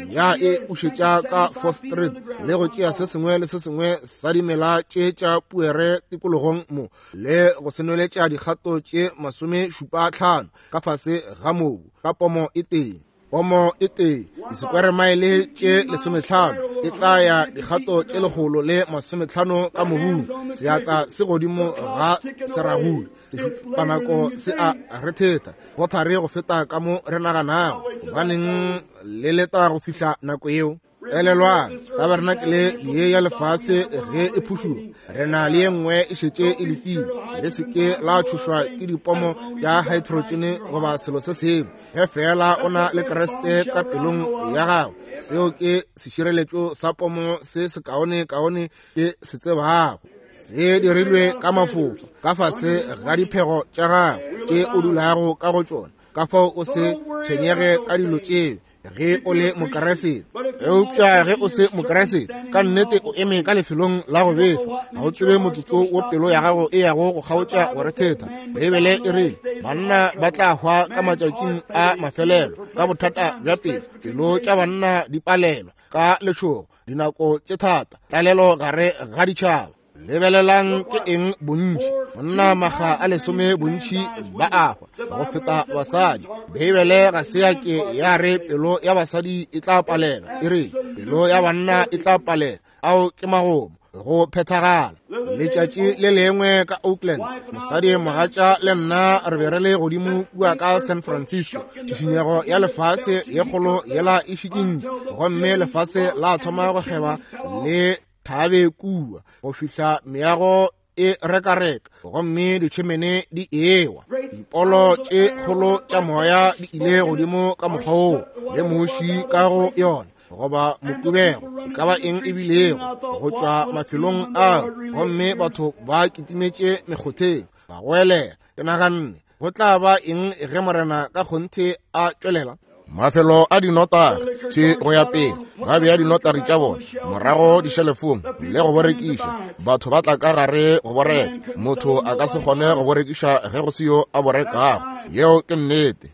S1: ya e ušetša ka Fourth Street le go tšea se sengwe le se sengwe sa dimela tše tša puere tikologong mo, le go se nweletša dikgato tše masomešupa tlhano ka fase ga mobu ka pomo e tee. Pomo e tee disekwere-maele tše lesometlhano e tla ya dikgato tše lekgolo le masometlhano ka mobung. Seatla se godimo ga seragule, sešupanako se a rethetha go thari go feta ka mo re naganago. Gobaneng le leta go fihla nako yeo? Elelwang, tabernacle ye ya lefase ge e phušuga, re na le ye nngwe e šetše e letile. Le se ke la tšhošwa ke dipomo tša hydrogen goba selo se sengwe. Ge fela o na le Kriste ka pelong ya gago, seo ke sešireletšo sa pomo se sekaone-kaone ke se tsebago. Se dirilwe ka mafofa ka fase ga diphego tša gago tše o dulago ka go tšona. Ka fao o se tshwenyege ka dilo tšeo ge o le Mokeresete. Eupša ge o se Mokeresete, ka nnete o eme ka lefelong la go befa. Ga o tsebe motsotso wo pelo ya gago e yago go kgaotša go rethetha. Beibele e rile banna ba tla hwa ka matšatšing a mafelelo ka bothata bja pelo. Pelo tša banna di palelwa ka letšhogo, dinako tše thata, tlalelo gare ga ditšhaba. Lebelelang ke eng bontši, monna maga a lesome bontši ba a hwa go feta basadi. Beibele ga se ya ke ya re pelo ya basadi e tla palela, e re pelo ya banna e tla palela. Ao ke magomo go phethagala. Letšatši le lengwe ka Oakland, mosadi mogatša le nna re be re le godimo kua ka San Francisco. Tšhišinyego ya lefase ye kgolo yela e šikintše, gomme lefase la thoma go kgeba le thabe kua go fihla meago e rekareka, gomme ditšhemene di ewa. Dipolo tše kgolo tša moya di ile godimo ka mokgwa woo, le muši ka go yona goba mokubego, e ka ba eng e bilego, go tšwa mafelong ao, gomme batho ba kitimetše mekgotheng ba goelela. Ke naganne go tla ba eng ge Morena ka kgonthe a tšwelela? Mafelo a dinotagi tše go ya pele ba bea dinotagi tša bona morago dišelefong le go borekiša. Batho ba tla ka gare go boreka. Motho a ka se kgone go borekiša ge go se yo a borekago. Yeo ke nnete.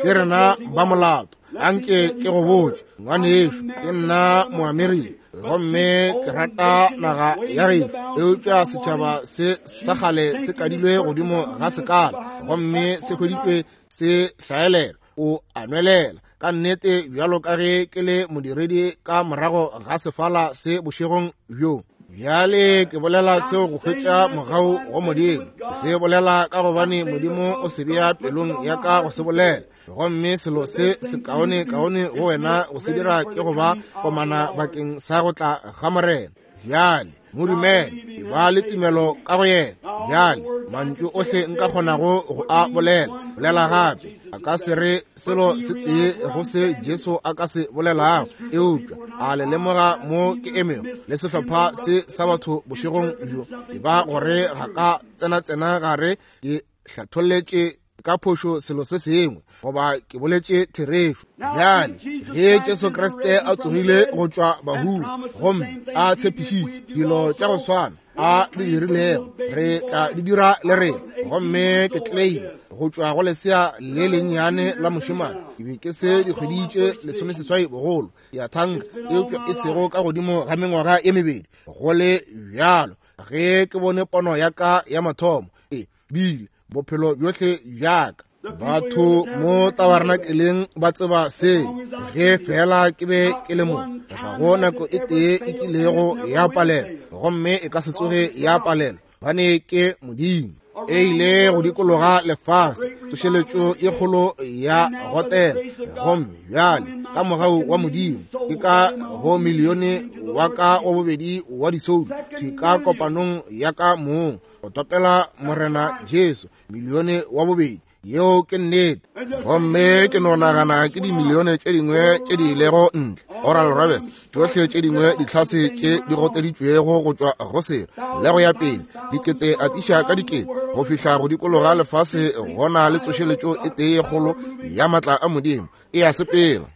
S1: Ke rena ba molato. Anke ke go botše, ngwanešo, ke nna Moamerika gomme ke rata naga ya gešo, eupša setšhaba se sa kgale se kadilwe godimo ga sekala gomme se hweditšwe se hlaelela. O a nwelela ka nnete bjalo ka ge ke le modiredi ka morago ga sefala se bošegong bjo. Bjale ke bolela seo go hwetša mogau go Modimo. Ke se bolela ka gobane Modimo o se bea pelong ya ka go se bolela. Gomme selo se sekaone kaone go wena go se dira ke go ba komana bakeng sa go tla ga Morena. Bjale mo dumele, e ba le tumelo ka go yena. Bjale mantšu ohle nka kgonago go a bolela, bolela gape. A ka se re selo se tee go se Jesu a ka se bolelago, eupša a le lemoga mo ke emego le sehlopha se sa batho bošegong bjo, e ba gore ga ka tsena-tsena gare ke hlatholletše ka phošo selo se sengwe goba ke boletše therešo. Bjale ge Jesu Kriste a tsogile go tšwa bahung gomme a tshepišitše dilo tša go swana a di dirilego, re tla di dira le rena. Gomme ke claim go tšwa go lesea le lennyane la mošemane, ke be ke se dikgwedi tše lesomeseswai bogolo, ke a thanka, eupša e sego ka godimo ga mengwaga ye mebedi. Go le bjalo, ge ke bone pono ya ka ya mathomo, e bile bophelo bjohle bjaka. Batho mo tabernakeleng ba tseba se, ge fela ke be ke le mo, ga go nako e tee e kilego ya palela, gomme e ka se tsoge ya palela, gobane ke Modimo. E ile go dikologa lefase, tsošeletšo e kgolo ya gotela. Gomme bjale ka mogau wa Modimo ke ka go milione wa ka wa bobedi wa disoulo thwi ka kopanong ya ka mong go topela Morena Jesu, milione wa bobedi. Yeo ke nnete. Gomme ke no nagana ke dimilione tše dingwe tše di ilego ntle. Oral Roberts, tšohle tše dingwe ditlhase tše di goteditšwego go tšwa go selo le go ya pele, dikete atiša ka dikete go fihla go dikologa lefase, gona le tsošeletšo e tee kgolo ya matla a Modimo e a sepela.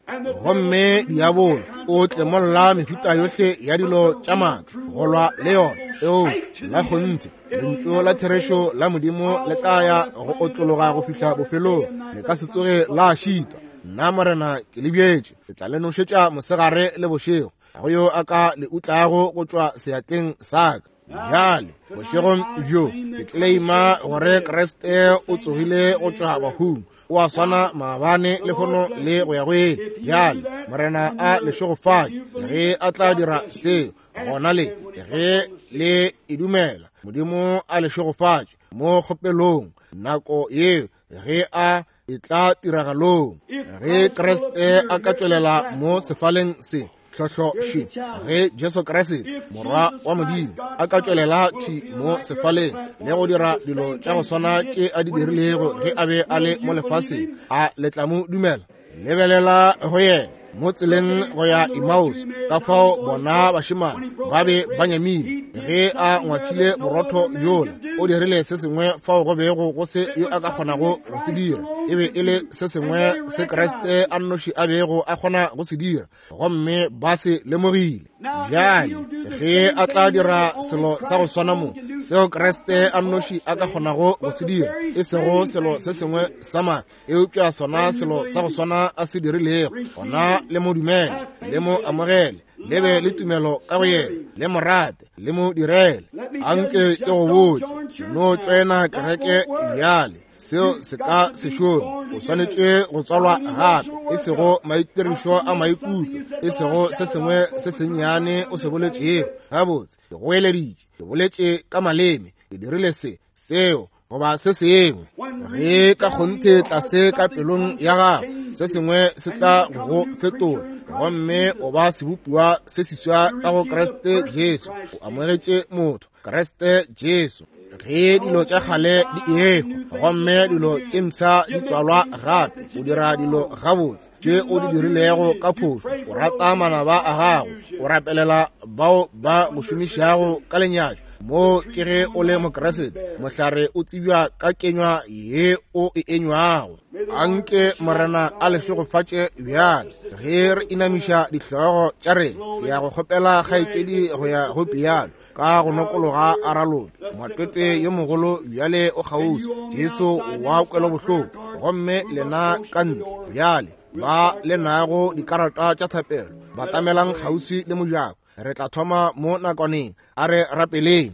S1: Gomme diabolo o tlemolla mehuta yohle ya dilo tša maaka go lwa le yona, eupša la kgonthe lentšu la therešo la Modimo le tla ya go otlologa go fihla bofelong, le ka se tsoge la šitwa. Nna Morena ke le bjetše, ke tla le nošetša mosegare le bošego, ga go yo a ka le utlago go tšwa seatleng sa ka. Bjale bošegong bjo ke claima gore Kriste o tsogile go tšwa bahung, o a swana maabane lehono le go ya go ile. Bjale Morena a le šegofatše ge a tla dira seo, gona le ge le e dumela. Modimo a le šegofatše mo kgopelong nako yeo ge a e tla tiragalong. Ge Kriste a ka tšwelela mo sefaleng se tlhohlo-še, ge Jesu Kriste morwa wa Modimo a ka tšwelela thwi mo sefaleng le go dira dilo tša go swana tše a di dirilego ge a be a le mo lefaseng, a le tla mo dumela? Lebelela go yena mo tseleng go ya Emmaus, ka fao bona bašemane ba be ba nyamile ge a ngwathile borotho bjola. O dirile se sengwe fao go bego go se yo a ka kgonago go se dira. E be e le se sengwe se Kriste a nnoši a bego a kgona go se dira, gomme ba se lemogile. Bjale ge a tla dira selo sa go swana mo, seo Kriste a nnoši a ka kgonago go se dira, e sego selo se sengwe sa maaka, eupša sona selo sa go swana a se dirilego, gona le mo dumele, le mo amogele, le be le tumelo ka go yena, le mo rate, le mo direle. Anke ke go botše, se no tšwena kereke bjale, seo se ka se šome. O swanetše go tswalwa gape, e sego maitirišo a maikutlo, e sego se sengwe se sennyane o se boletšego. Gabotse, ke goeleditše, ke boletše ka maleme, ke dirile se, seo, goba se sengwe. Ge ka kgonthe tlase ka pelong ya gago se sengwe se tla go fetola, gomme o ba sebopiwa se seswa ka go Kriste Jesu. O amogetše motho Kriste Jesu. Ge dilo tša kgale di ehwa gomme dilo tše mpsha di tswalwa gape, o dira dilo gabotse tše o di dirilego ka phošo. O rata manaba a gago, o rapelela bao ba go šomišago ka lenyatšo. Mo ke ge o le Mokriste, mohlare o tsebja ka kenywa ye o e enywago. Anke Morena a le šegofatše bjale ge re inamiša dihlogo tša rena. Ke ya go kgopela kgaetšedi go ya go piano ka go nokologa a raloke. Matwetwe yo mogolo bjale o kgauswi, Jesu wa kwelobohloko. Gomme lena ka ntle bjale ba le nago dikarata tša thapelo, batamelang kgauswi le mojako. Re tla thoma mo nakwaneng. A re rapeleng.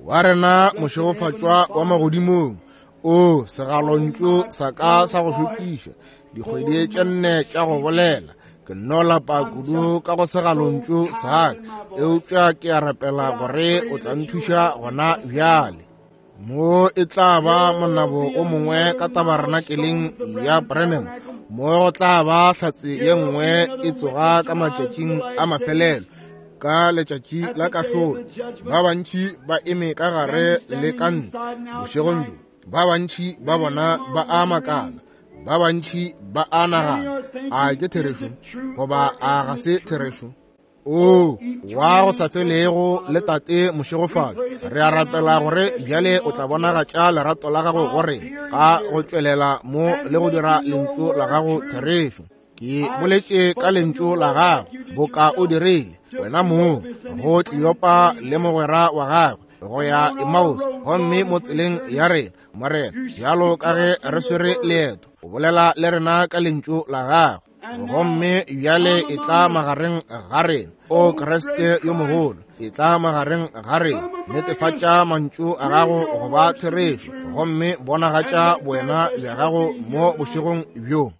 S1: Wa rena mošegofatšwa wa magodimong, o segalontšu sa ka sa go šokiša, dikgwedi tše nne tša go bolela Ke nno lapa kudu ka go segalontšu sa ka, eupša ke a rapela gore o tla nthuša gona bjale. Mo e tla ba monabo o mongwe ka tabarnakeleng ya Branham, mo go tla ba hlatse ye nngwe e tsoga ka matšatšing a mafelelo, ka letšatši la kahlolo. Ba bantši ba eme ka gare le ka ntle bošegong bjo, ba bantši ba bona ba a makala, ba bantši ba a nagana, a ke therešo goba a ga se therešo? O wa go sa felego le Tate mošegofatšo, re a rapela gore bjale o tla bonagatša lerato la gago go rena ka go tšwelela mo le go dira lentšu la gago therešo. Ke boletše ka lentšu la gago boka o dirile wena mong go Kleopa le mogwera wa gagwe go ya Emmaus, gomme mo tseleng ya rena, Morena, bjalo ka ge re swere leeto, o bolela le rena ka lentšu la gago. Gomme bjale e tla magareng ga rena, o Kriste yo mogolo, e tla magareng ga rena, netefatša mantšu a gago go ba therešo, gomme bonagatša boena bja gago mo bošegong bjo.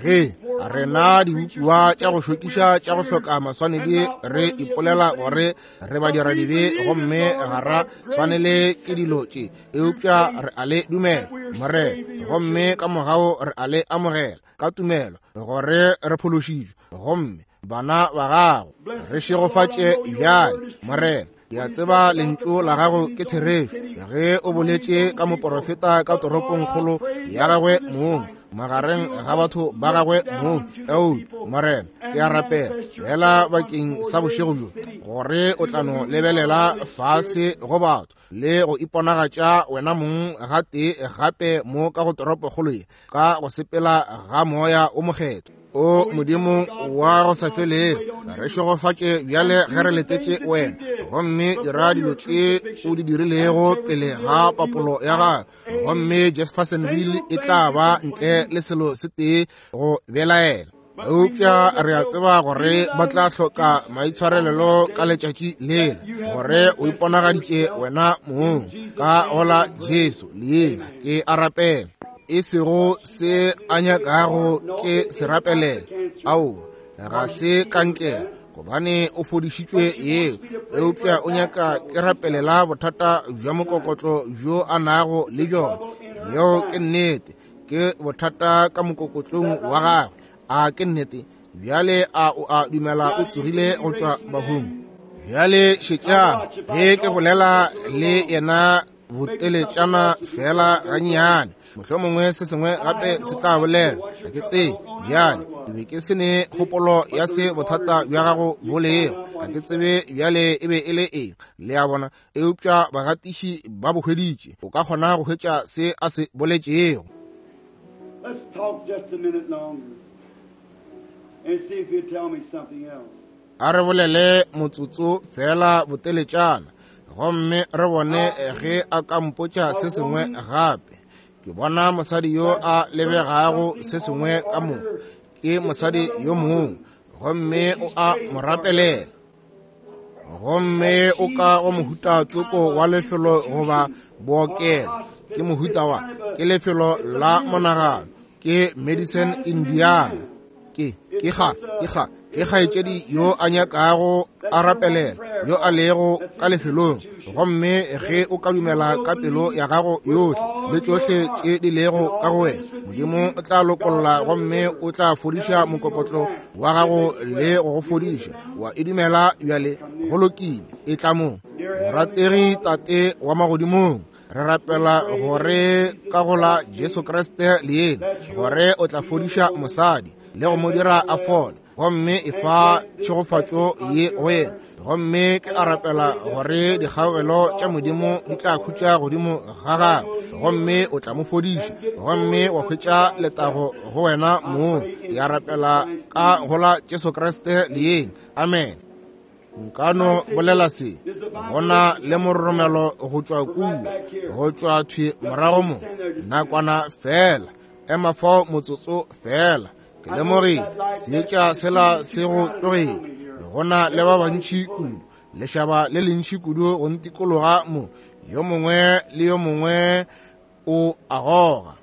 S1: Ge rena dibopiwa tša go šokiša tša go hloka maswanedi re ipolela gore re badiradibe gomme ga ra swanele ke dilo tše, eupša re a le dumela, Morena, gomme ka mogau re a le amogela ka tumelo gore re phološitšwe gomme bana ba gago. Re šegofatše bjale, Morena. Ke a tseba lentšu la gago ke therešo ge o boletše ka moporofeta ka toropongkgolo ya gagwe mong, magareng ga batho ba gagwe mong. Eupša Morena, ke a rapela fela bakeng sa bošego bjo gore o tla no lebelela fase go batho le go iponagatša wena mong gatee gape mo ka go toropokgolo ye ka go sepela ga moya o mokgethwa. O Modimo wa go sa felego, re šegofatše bjale ge re letetše wena, gomme dira dilo tše o di dirilego pele ga papolo ya gago, gomme Jeffersonville e tla ba ntle le selo se tee go belaela. Eupša re a tseba gore ba tla hloka maitshwarelelo ka letšatši lela, gore o iponagaditše wena mong ka gola Jesu leina. Ke a rapela, e sego se a nyakago ke se rapelela, aowa, ga se kankere, gobane o fodišitšwe yeo, eupša o nyaka ke rapelela bothata bja mokokotlo bjo a nago le bjona. Yeo ke nnete, ke bothata ka mokokotlong wa gagwe. A ke nnete? Bjale a o a dumela o tsogile go tšwa bahung? Bjale šetšang ge ke bolela le yena boteletšana fela gannyane, mohlomongwe se sengwe gape se tla bolela, ga ke tsebe. Bjale ke be ke se ne kgopolo ya se bothata bja gago bo lego, ga ke tsebe bjale e be e le eng, le a bona, eupša bagatiši ba bo hweditše. O ka kgona go hwetša se a se boletšego.
S2: Let's talk just a minute longer and see if he'll tell me something else.
S1: A re bolele motsotso fela boteletšana, gomme re bone ge a ka mpotša se sengwe gape. Ke bona mosadi yo a lebegago se sengwe ka mo, ke mosadi yo mongwe, gomme o a mo rapelela. Gomme o ka go mohuta tsoko wa lefelo goba bookelo, ke mohuta wa, ke lefelo la monagano, ke Madison, Indiana. Ke, ke ga, ke ga, ke kgaetšedi yo a nyakago a rapelela, yo a lego ka lefelong. Gomme ge o ka dumela ka pelo ya gago yohle le tšohle tše di lego ka go wena, Modimo o tla lokolla gomme o tla fodiša mokokotlo wa gago le go go fodiša. Wa e dumela bjale? Go lokile, e tla mo. Morategi Tate wa magodimong, re rapela gore ka go la Jesu Kriste leina, gore o tla fodiša mosadi le go mo dira a fole, gomme e fa tšhegofatšo ye go yena. Gomme ke a rapela gore dikgaogelo tša Modimo di tla khutša godimo ga gagwe, gomme o tla mo fodiša, gomme wa hwetša letago go wena mong. Ke a rapela ka go la Jesu Kriste leina, amen. Nka no bolela se, gona le mororomelo go tšwa kua, go tšwa thwi morago mo, nakwana fela, ema fao motsotso fela. Ke lemogile seetša sela se go tlogile, gona le ba bantši kudu, lešaba le lentši kudu go ntikologa mo, yo mongwe le yo mongwe o a goga.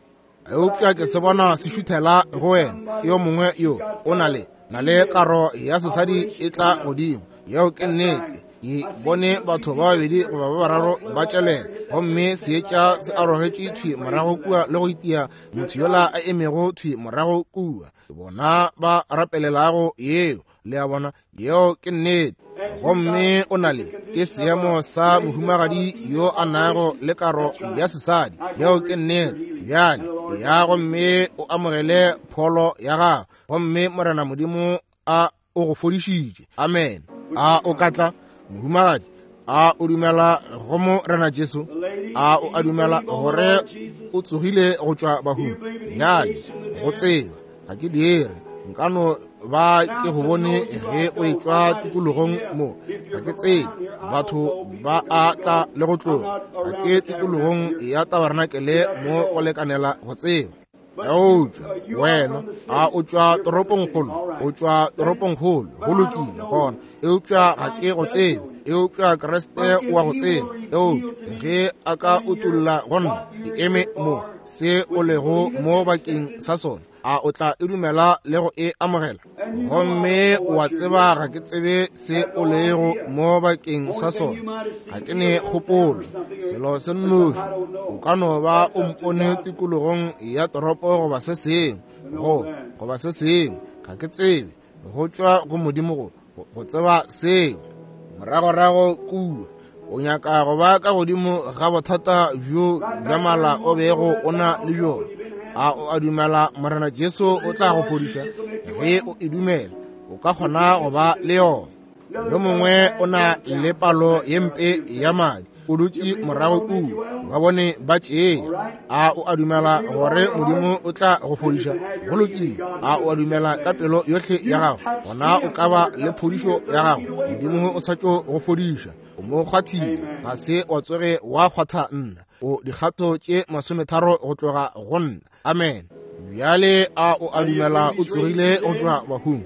S1: Eupša ke se bona se šuthela go wena, yo mongwe yo o na le Na le karo ya sesadi e tla godimo. Yeo ke nnete. Ke bone batho ba babedi goba ba bararo ba tšwelela, gomme seetša se arogetše thwi morago kua le go itia motho yola a emego thwi morago kua. Bona ba rapelelago yeo, le a bona, yeo ke nnete. Gomme o na le ke seemo sa mohumagadi yo a nago le karo ya sesadi. Yeo ke nnete. Bjale ya gomme o amogele pholo ya gago, gomme Morena Modimo a o go fodišitše. Amen. A o ka tla, mohumagadi? A o dumela go Morena Jesu? A o a dumela gore o tsogile go tšwa bahung? Bjale go tseba ga ke dire, nka no ba ke go bone ge o etšwa tikologong mo. Ga ke tsebe, batho ba a tla le go tloga. Ga ke tikologong ya tabarnakele mo go lekanela go tseba. Eupša wena a o tšwa toropongkgolo, o tšwa toropongkgolo, go lokile gona. Eupša ga ke go tsebe, eupša Kriste o a go tseba. Eupša ge a ka utolla go nna, ke eme mo se o lego mo bakeng sa sona, a o tla e dumela le go e amogela? Gomme o a tseba ga ke tsebe se o lego mo bakeng sa sona, ga ke ne kgopolo, selo se nnoši. O ka no ba o mpone tikologong ya toropo goba se sengwe, go goba se sengwe, ga ke tsebe. Go tšwa go Modimo go go tseba seo. Moragorago kua o nyaka go ba ka godimo ga bothata bjo bja mala o bego o na le bjona. A o a dumela Morena Jesu o tla go fodiša? Ge o e dumela, o ka kgona go ba le yona. Yo mongwe o na le palo ye mpe ya madi, o dutše morago kua, ba bone ba tšea. A o a dumela gore Modimo o tla go fodiša? Go lokile. A o a dumela ka pelo yohle ya gago? Gona o ka ba le phodišo ya gago. Modimo o sa tšo go fodiša. O mo kgwathile, ga se wa tsoge wa kgwatha nna. O dikgato tše masometharo go tloga go nna. Amen. Bjale a o a dumela o tsogile go tšwa bahung?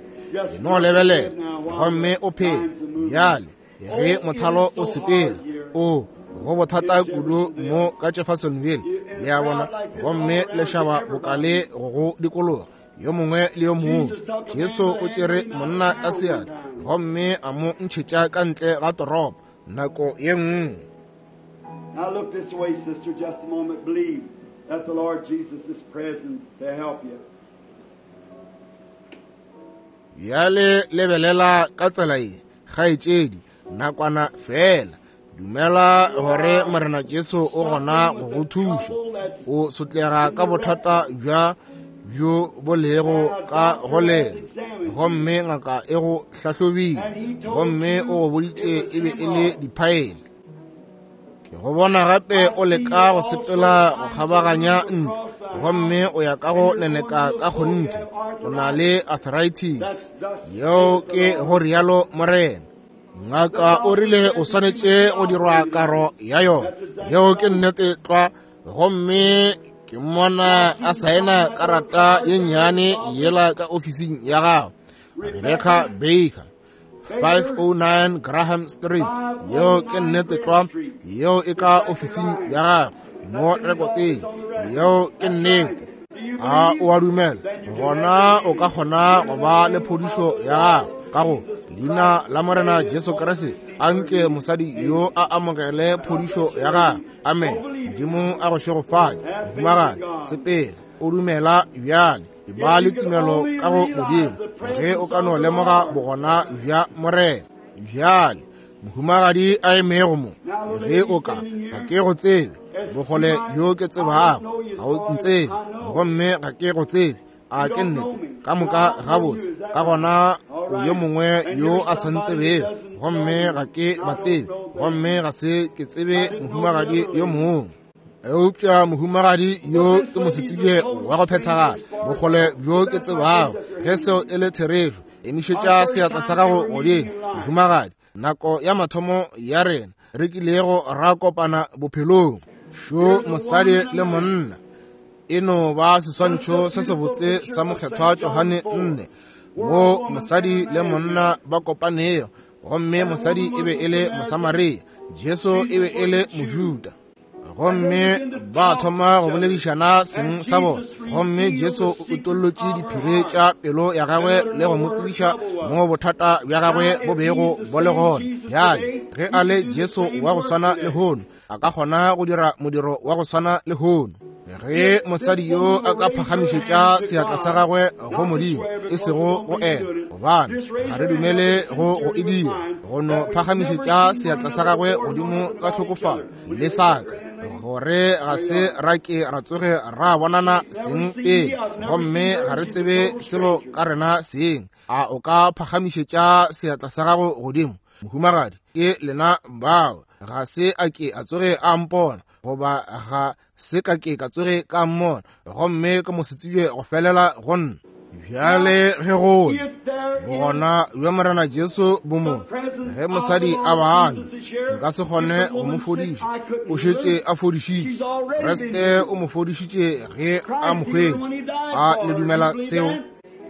S1: E no lebelela gomme o phele. Bjale ge mothalo o sepela, o go bothata kudu mo ka Jeffersonville, le a bona, gomme lešaba bokale go go dikologa yo mongwe le yo mongwe. Jesu o tšere monna ka seatla gomme a mo ntšhetša ka ntle ga toropo nako ye nngwe.
S2: Now look this way, sister, just a moment. Believe that the Lord Jesus is present to help you.
S1: Bjale lebelela ka tsela ye, kgaetšedi, nakwana fela. Dumela gore Morena Jesu o gona go go thuša. O sotlega ka bothata bja bjo bo lego ka go lena, gomme ngaka e go hlahlobile, gomme o go boditše e be e le diphaele. Ke go bona gape o leka go sepela go kgabaganya ntlo, gomme o ya ka go neneka ka kgonthe. O na le arthritis. Yeo ke go rialo Morena. Ngaka o rile o swanetše go dirwa karo ya yona. Yeo ke nnete tlwa. Gomme ke mmona a saena karata ye nnyane yela ka ofising ya gago. Rebecca Baker, five oh nine Graham Street. Yeo ke nnete tlwa. Yeo e ka ofising ya gago mo rekoteng. Yeo ke nnete. A o a dumela? Gona o ka kgona go ba le phodišo ya gago ka go leina la Morena Jesu Kriste. Anke mosadi yo a amogele phodišo ya gagwe. Amen. Modimo a go šegofatše. Mohumagadi, sepela o dumela bjale. Ba le tumelo ka go Modimo ge o ka no lemoga bogona bja Morena. Bjale mohumagadi a emego mo, ge o ka, ga ke go tsebe, bogole bjo ke tsebago ga o ntsebe, gomme ga ke go tsebe. A ke nnete? Ka moka gabotse. Ka gona o yo mongwe yo a sa ntsebego, gomme ga ke ba tsebe, gomme ga se ke tsebe mohumagadi yo mongwe. Eupša mohumagadi yo ke mosetsebje wa go phethagala, bogole bjo ke tsebago. Ge seo e le therešo, emišetša seatla sa gago godimo, mohumagadi. Nako ya mathomo ya rena re kilego ra kopana bophelong, šo mosadi le monna e no ba seswantšho se sebotse sa mokgethwa Johane nne, mo mosadi le monna ba kopanego, gomme mosadi e be e le Mosamaria, Jesu e be e le Mojuda. Gomme ba thoma go boledišana seng sa bona. Gomme Jesu o utollotše diphiri tša pelo ya gagwe le go mo tsebiša mo bothata bja gagwe bo bego bo le gona. Bjale ge a le Jesu wa go swana lehono, a ka kgona go dira modiro wa go swana lehono. Ge mosadi yo a ka phagamišetša seatla sa gagwe go Modimo, e sego go ena, gobane ga re dumele go go e dira, go no phagamišetša seatla sa gagwe godimo ka tlhokofalo le saka, gore ga se ra ke ra tsoge ra bonana seng pele, gomme ga re tsebe selo ka rena seng. A o ka phagamišetša seatla sa gago godimo, mohumagadi? Ke lena bao. Ga se a ke a tsoge a mpona, goba ga se ka ke ka tsoge ka mmona, gomme ke mo se tsebje go felela go nna. Bjale ge go bogona bja Morena Jesu bo mo, ge mosadi a baanya, nka se kgone go mo fodiša. O šetše a fodišitše. Kriste o mo fodišitše ge a mo hwetše. A le dumela seo?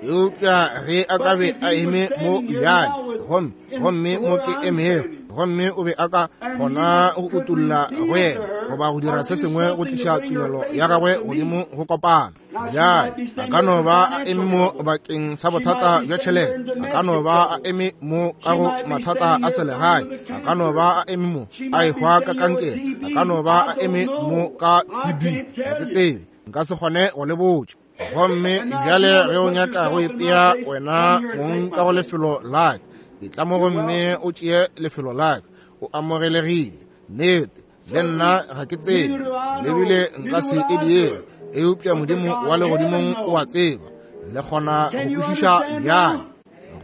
S1: Eupša ge a ka be a eme mo bjale, gomme gomme mo ke emego, gomme o be a ka kgona go utolla go yena, goba go dira se sengwe go tliša tumelo ya gagwe godimo go kopana. Bjale a ka no ba a eme mo bakeng sa bothata bja tšhelete, a ka no ba a eme mo ka go mathata a selegae, a ka no ba a eme mo a ehwa ka kankere, a ka no ba a eme mo ka T B. Ga ke tsebe, nka se kgone go le botša. Gomme bjale ge o nyaka go ipea wena mong ka go lefelo la ka, etla mo gomme o tšee lefelo la ka. O amogelegile. Nnete, le nna ga ke tsebe, le bile nka se e dire, eupša Modimo wa legodimong o a tseba. Le kgona go kwešiša bjale.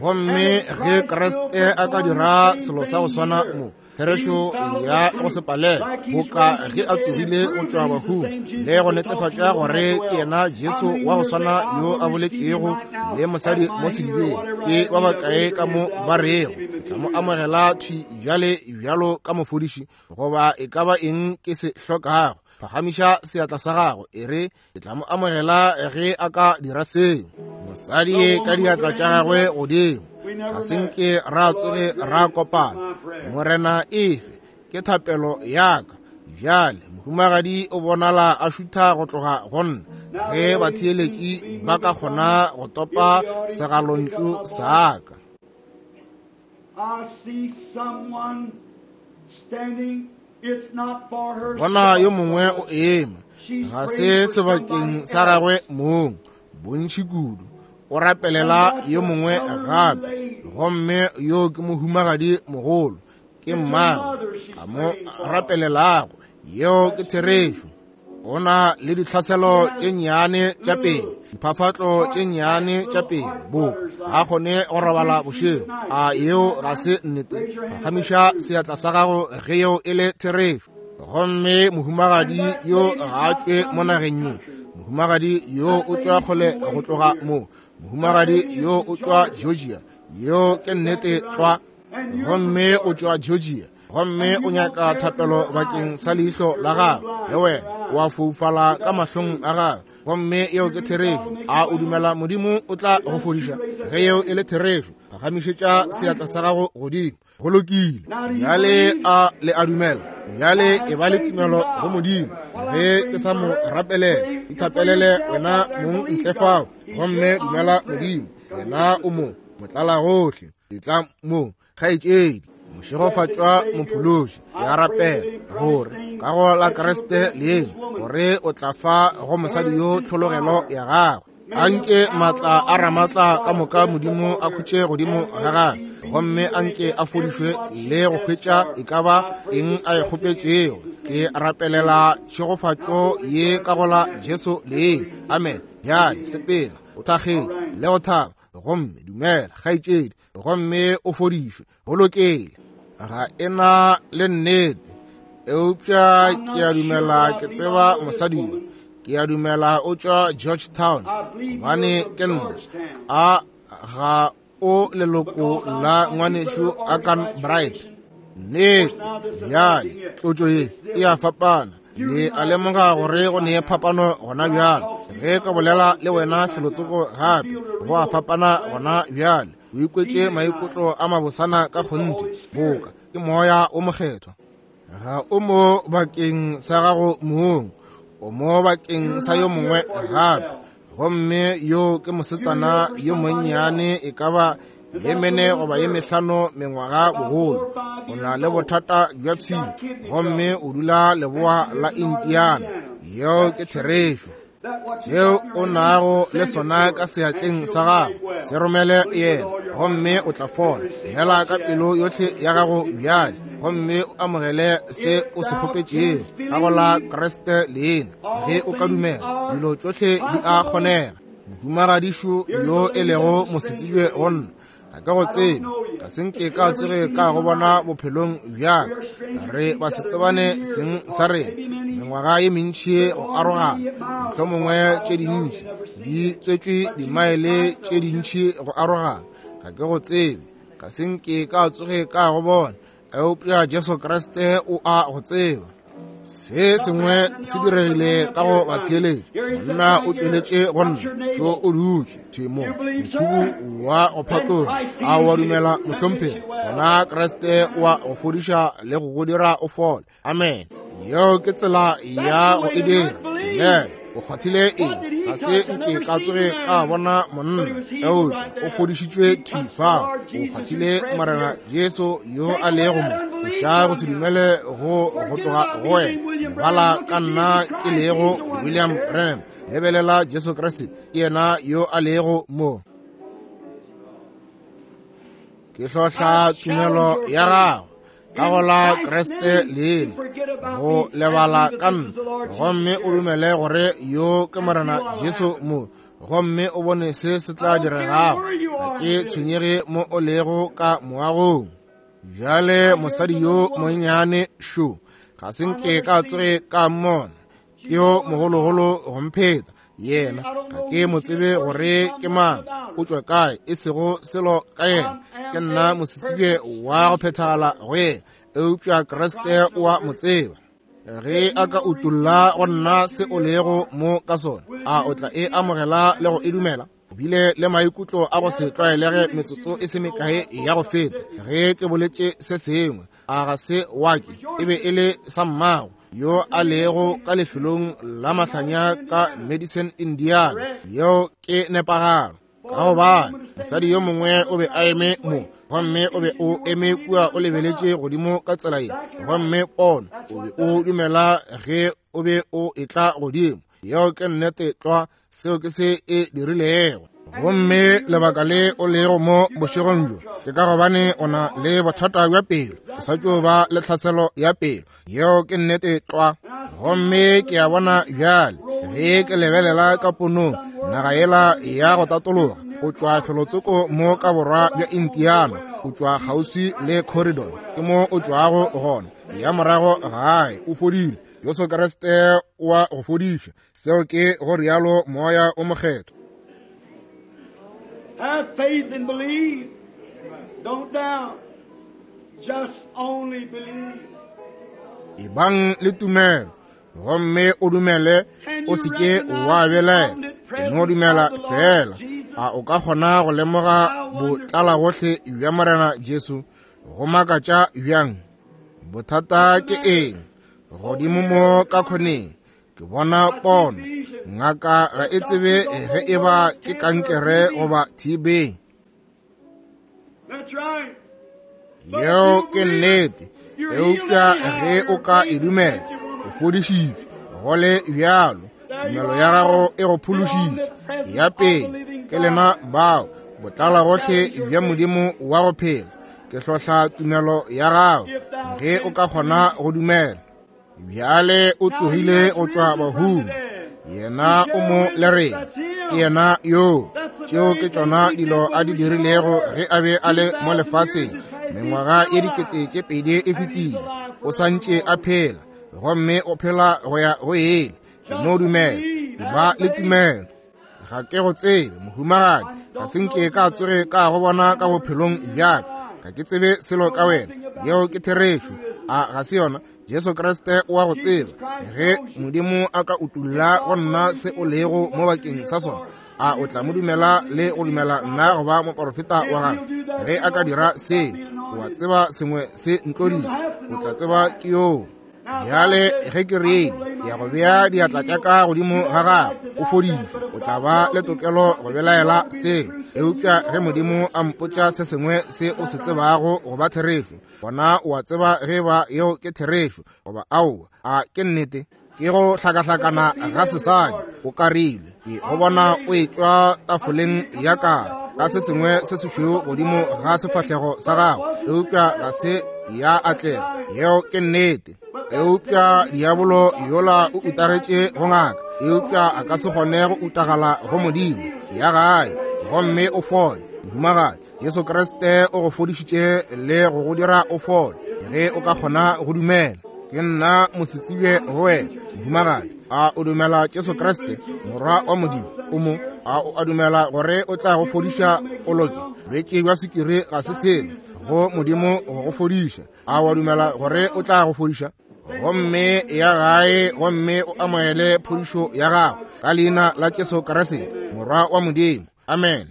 S1: Gomme ge Kriste a ka dira selo sa go swana mo, therešo ya go se palele, boka ge a tsogile go tšwa bahung, le go netefatša gore ke yena Jesu wa go swana yo a boletšego le mosadi mo sedibeng, ke ba bakae ka mo ba rego, ke tla mo amogela thwi bjale bjalo ka mofodiši, goba e ka ba eng ke se hlokago. Phagamiša seatla sa gago, e re, ke tla mo amogela ge a ka dira seo. Mosadi ka diatla tša gagwe godimo, ga se nke ra tsoge ra kopana. Morena efe, ke thapelo ya ka. Bjale mohumagadi o bonala a šutha go tloga go nna, ge batheeletši ba ka kgona go topa segalontšu sa ka.
S2: I see someone standing. It's not for her.
S1: Bona yo mongwe o eme, ga se sebakeng sa gagwe mong, bontši kudu. O rapelela yo mongwe gape, gomme yo ke mohumagadi mogolo, ke mmagwe a mo rapelelago. Yeo ke therešo. O na le ditlhaselo tše nnyane tša pele, diphafatlo tše nnyane tša pele, boka ga kgone go robala bošego. A yeo ga se nnete? Phagamiša seatla sa gago ge yeo e le therešo. Gomme mohumagadi yo ga a tšwe mo nageng ye. Mohumagadi yo o tšwa kgole go tloga mo. Mohumagadi yo o tšwa Georgia. Yeo ke nnete tlwa. Gomme o tšwa Georgia. Gomme o nyaka thapelo bakeng sa leihlo la gago. Le wena o a foufala ka mahlong a gago. Gomme yeo ke therešo. A o dumela Modimo o tla go fodiša? Ge yeo e le therešo, phagamišetša seatla sa gago godimo. Go lokile. Bjale a le a dumela? Bjale e ba le tumelo go Modimo. Ge ke sa mo rapelela, ithapelele wena mong ntle fao, gomme dumela Modimo. Yena o mo motlala gohle. Etla mo, kgaetšedi. Mošegofatšwa mophološi, ke a rapela gore ka go la Kriste leeno, gore o tla fa go mosadi yo tlhologelo ya gagwe. Anke matla a ramatla ka moka Modimo a khutše godimo ga gagwe, gomme anke a fodišwe le go hwetša e ka ba eng a e kgopetšego. Ke rapelela tšhegofatšo ye ka go la Jesu leina. Amen. Bjale sepela o thakgetše le go thaba, gomme dumela kgaetšedi, gomme o fodišwe. Go lokile. Ga e na le nnete, eupša ke a dumela ke tseba mosadi yo. Ke a dumela o tšwa Georgetown, gobane ke nna. A ga o leloko la ngwanešu Akan Bright? Nnete. Bjale tlotšo ye e a fapana. Le a lemoga gore go ne phapano gona bjale. Ge ka bolela le wena felotsoko gape, go a fapana gona bjale. O ikwetše maikutlo a mabosana ka kgonthe, boka ke moya o mokgethwa. Ga o mo bakeng sa gago mong, o mo bakeng sa yo mongwe gape. Gomme yo ke mosetsana yo monnyane, e ka ba ye mene goba ye mehlano mengwaga bogolo. O na le bothata bja pshio, gomme o dula leboa la Indiana. Yeo ke therešo. Seo o nago le sona ka seatleng sa gago, se romele yena, gomme o tla fola. Dumela ka pelo yohle ya gago bjale, gomme o amogele se o se kgopetšego ka go la Kriste leina. Ge o ka dumela, dilo tšohle di a kgonega. Mohumagadišo yo e lego mosetsebje go nna, ga ke go tsebe, ga se nke ka tsoge ka go bona bophelong bja ka. Re ba se tsebane seng sa rena mengwaga ye mentši go arogana, mohlomongwe tše dintši di tswetšwe dimaele tše dintši go arogana. Ga ke go tsebe, ga se nke ka tsoge ka go bona, eupša Jesu Kriste o a go tseba. Se sengwe se diregile ka go batheeletši. Monna o tšweletše go nna, tšo o dutše themo mokhubu wa go phatloga. A wa dumela, mohlomphegi? Gona Kriste wa go fodiša le go go dira o fole. Amen. Yeo ke tsela ya go e dira. Dumela. O kgwathile eng? Ga se nke ka tsoge ka bona monna, eupša o fodišitšwe thwi fao. O kgwathile Morena Jesu yo a lego mo. Tloša go se dumele go go tloga go wena. Lebala ka nna ke lego William Branham. Lebelela Jesu Kriste, ke yena yo a lego mo. Ke hlohla tumelo ya gago ka go la Kriste leina, go lebala ka nna, gomme o dumele gore yo ke Morena Jesu mo, gomme o bone se se tla diregago. Ga ke tshwenyege mo o lego ka moagong. Bjale mosadi yo monnyane šo, ga se nke ka tsoge ka mmona, ke yo mogologolo go mpheta. Yena ga ke mo tsebe gore ke mang, o tšwa kae, e sego selo ka yena. Ke nna mosetsebje wa go phethagala go yena, eupša Kriste o a mo tseba. Ge a ka utolla go nna se o lego mo ka sona, a o tla e amogela le go e dumela? O bile le maikutlo a go se tlwaelege metsotso e se mekae ya go feta ge ke boletše se sengwe. A ga se wa ke, e be e le sa mmago yo a lego ka lefelong la mahlanya ka Madison, Indiana. Yeo ke nepagalo, ka gobane mosadi yo mongwe o be a eme mo, gomme o be o eme kua o lebeletše godimo ka tsela ye, gomme pono o be o dumela ge o be o etla godimo. Yeo ke nnete tlwa, seo ke se e dirilego. Gomme lebaka le o lego mo bošegong bjo ke ka gobane o na le bothata bja pelo, o sa tšo ba le tlhaselo ya pelo. Yeo ke nnete tlwa. Gomme ke a bona bjale ge ke lebelela ka ponong naga yela ya go tatologa, o tšwa felotsoko mo ka borwa bja Indiana, o tšwa kgauswi le Corridor, ke mo o tšwago gona. Ya morago gae o fodile. Jesu Kriste wa go fodiša. Seo ke go rialo Moya o Mokgethwa.
S2: Have faith and believe. Don't doubt. Just only believe.
S1: Ebang le tumelo, gomme o dumele, o se ke wa belaela. E no dumela fela. A o ka kgona go lemoga botlalagohle bja Morena Jesu? Go makatša bjang? Bothata ke eng? Godimo mo ka khoneng ke bona pono. Ngaka ga e tsebe ge e ba ke kankere goba T B.
S2: That's right.
S1: Yeo ke nnete, eupša ge o ka e dumela, o fodišitšwe. Go le bjalo, tumelo ya gago e go phološitše. Ya pele ke lena bao botlalagohle bja Modimo wa go phela. Ke hlohla tumelo ya gago ge o ka kgona go dumela. Bjale o tsogile go tšwa bahung, yena o mo le rena, ke yena yo. Tšeo ke tšona dilo a di dirilego ge a be a le mo lefaseng. Mengwaga ye dikete tše pedi e fetile, o santše a phela, gomme o phela go ya go ele. E no dumela, ba le tumelo. Ga ke go tsebe, mohumagadi, ga se nke ka tsoge ka go bona ka bophelong bja ka. Ga ke tsebe selo ka wena. Yeo ke therešo. A ga se yona? Jesu Kriste o a go tseba. Ge Modimo a ka utolla go nna se o lego mo bakeng sa sona, A o tla mo dumela le go dumela nna go ba moporofeta wa gagwe? Ge a ka dira se, o a tseba sengwe se ntloditše, o tla tseba ke yoo. Bjale ge ke reile, ke ya go bea diatla tša ka godimo ga gago, o fodišwe. O tla ba le tokelo go belaela seo. Eupša ge Modimo a mpotša se sengwe se o se tsebago go ba therešo, gona o a tseba ge ba yeo ke therešo goba aowa. A ke nnete? Ke go hlakahlakana ga sesadi o karilwe. Ke go bona o etšwa tafoleng ya karo ka se sengwe se sešweu godimo ga sefahlego sa gago, eupša ga se ya atlega. Yeo ke nnete. Eupša diabolo yola o utagetše go ngaka, eupša a ka se kgone go utagala go Modimo. Ya gae gomme o fole. Mohumagadi, Jesu Kriste o go fodišitše le go go dira o fole, ge o ka kgona go dumela. Ke nna mosetsebje go wena, mohumagadi. A o dumela Jesu Kriste, Morwa wa Modimo? O mo? A o a dumela gore o tla go fodiša o loke? Bolwetši bja sukiri ga se selo go Modimo go go fodiša. A o a dumela gore o tla go fodiša? Gomme ya gae gomme o amohele phodišo ya gago ka leina la Jesu Kriste, Morwa wa Modimo. Amen.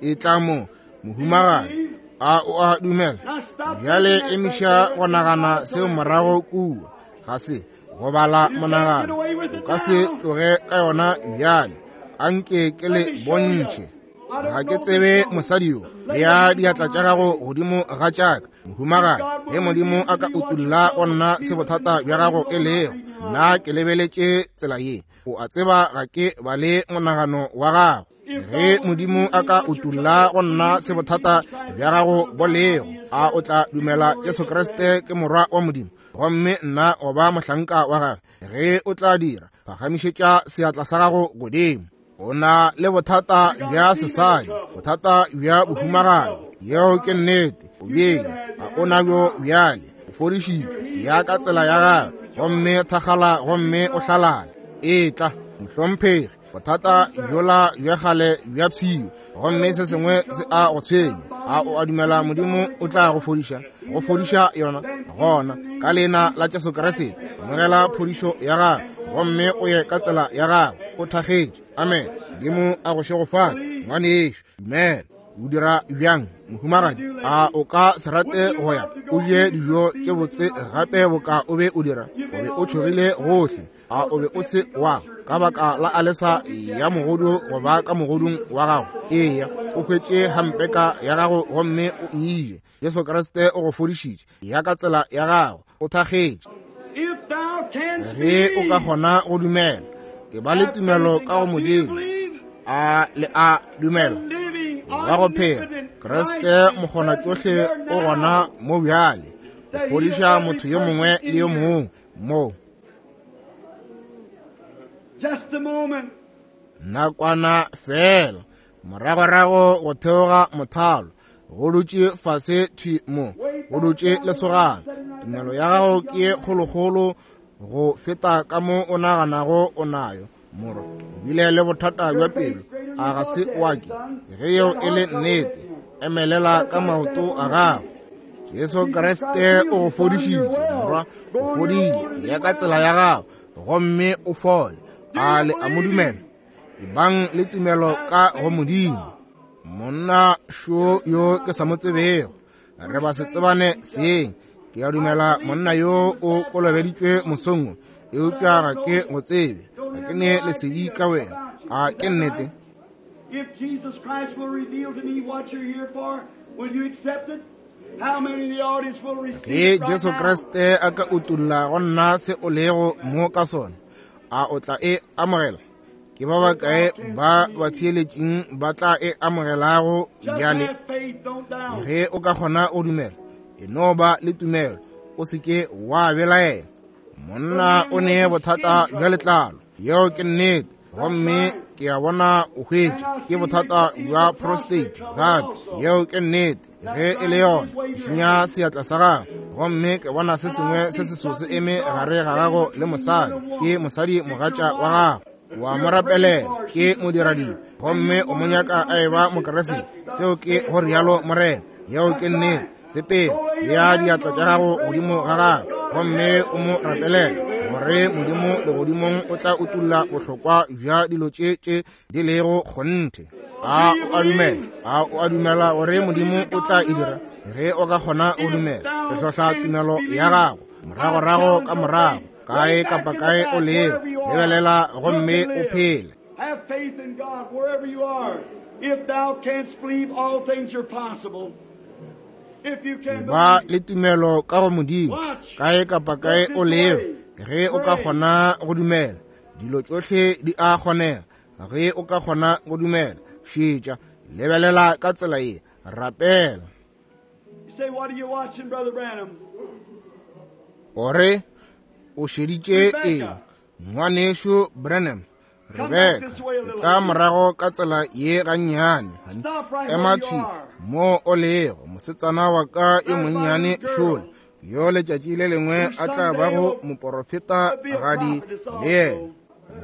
S1: E tla mo, mohumagadi. A o a dumela? Bjale emiša go nagana seo morago kua. Ga se go bala monagano, o ka se tloge ka yona bjale. Anke ke le bontšhe. Ga ke tsebe mosadi yo. Bea diatla tša gago godimo ga tšaka, mohumagadi. Ge Modimo a ka utulla go nna se bothata bja gago e lego, nna ke lebeletše tsela ye. O a tseba ga ke bale monagano wa gago. Ge Modimo a ka utulla go nna se bothata bja gago bo lego, a o tla dumela Jesu Kriste ke Morwa wa Modimo, gomme nna o ba mohlanka wa gagwe? Ge o tla dira, phagamišetša seatla sa gago godimo. O na le bothata bja sesadi, bothata bja bohumagadi. Yeo ke nnete. O bjele, ga o na bjo bjale. O fodišitšwe ya ka tsela ya gago, gomme thakgala gomme o hlalale. Etla, mohlomphegi. Bothata bjola bja kgale bja pshio, gomme se sengwe se a go tshwenya. A o a dumela Modimo o tla go fodiša? Go fodiša yona gona ka leina la Jesu Kriste. Amogela phodišo ya gago gomme o ye ka tsela ya gago o thakgetše. Amen. Modimo a go šegofatše, ngwanešo. Dumela. O dira bjang, mohumagadi? A o ka se rate go ya o je dijo tše botse gape boka o be o dira? O be o tšhogile gohle. A o be o se wa ka baka la alesa ya mogodu goba ka mogodung wa gago? Eya, o hwetše hampeka ya gago gomme o e je. Jesu Kriste o go fodišitše ya ka tsela ya gago, o thakgetše. Ge o ka kgona go dumela, e ba le tumelo ka go Modimo. A le a dumela? Wa go phela Kriste mokgona tšohle o gona mo bjale go fodiša motho yo mongwe le yo mongwe mo. Nakwana fela moragorago go theoga mothalo, go dutše fase thwi mo, go dutše lesogana. Tumelo ya gago ke ye kgolokgolo go feta ka mo o naganago o nayo. Morwa, o bile le bothata bja pelo, a ga se wa ke? Ge yeo e le nnete, emelela ka maoto a gago. Jesu Kriste o go fodišitše, morwa. O fodile ya ka tsela ya gago gomme o fole. A le a mo dumela? Ebang le tumelo ka go Modimo. Monna šo yo ke sa mo tsebego, re ba se tsebane seng. Ke a dumela monna yo o kolobeditšwe mosong wo, eupša ga ke go tsebe. Ga ke ne lesedi ka wena. A ke nnete?
S2: If Jesus Christ will reveal to me what you're here for, will you accept it? How many in the audience will receive
S1: Ge
S2: it right
S1: Jesu
S2: now?
S1: Kriste a ka utulla go nna se o lego mo ka sona, a o tla e amogela? Ke ba bakae ba ba theeletšeng ba tla e amogelago
S2: Just
S1: bjale?
S2: have faith, don't doubt.
S1: Ge o ka kgona go dumela, e no ba le tumelo, o se ke wa belaela. Monna o ne bothata bja letlalo, yeo ke nnete, gomme ke a bona o hwetše ke bothata bja prostate gape, yeo ke nnete. Ge e le yona, šinya seatla sa gago, gomme ke bona se sengwe se seso se eme gare ga gago le mosadi. Ke mosadi mogatša wa gago, wa mo rapelela, ke modiradibe, gomme o mo nyaka a eba Mokeresete. Seo ke go rialo Morena. Yeo ke nnete. Sepela, bea diatla tša gago godimo ga gago gomme o mo rapelele. gore Modimo legodimong o tla utolla bohlokwa bja dilo tše tše di lego kgonthe. A o a dumela? A o a dumela gore Modimo o tla e dira? Ge o ka kgona go dumela, re hlohla tumelo ya gago moragorago ka morago, kae kapa kae o lego, lebelela gomme o phele.
S2: Have faith in God wherever you are. If thou canst believe, all things are possible. If you can
S1: Ba
S2: believe,
S1: le tumelo ka go Modimo, kae kapa kae o lego, ge o ka kgona go dumela, dilo tšohle di a kgonega. Ge o ka kgona go dumela, šetša, lebelela ka tsela ye, rapela.
S2: you say, what are you watching, Brother Branham?
S1: O re o šeditše eng, ngwanešu Branham? Rebeka, e tla morago ka tsela ye gannyane.
S2: Stop right
S1: Ema
S2: where you
S1: thwi
S2: are.
S1: mo o lego, mosetsana wa ka yo monnyane šole, yo letšatši le lengwe a tla bago moporofeta gadi le yena.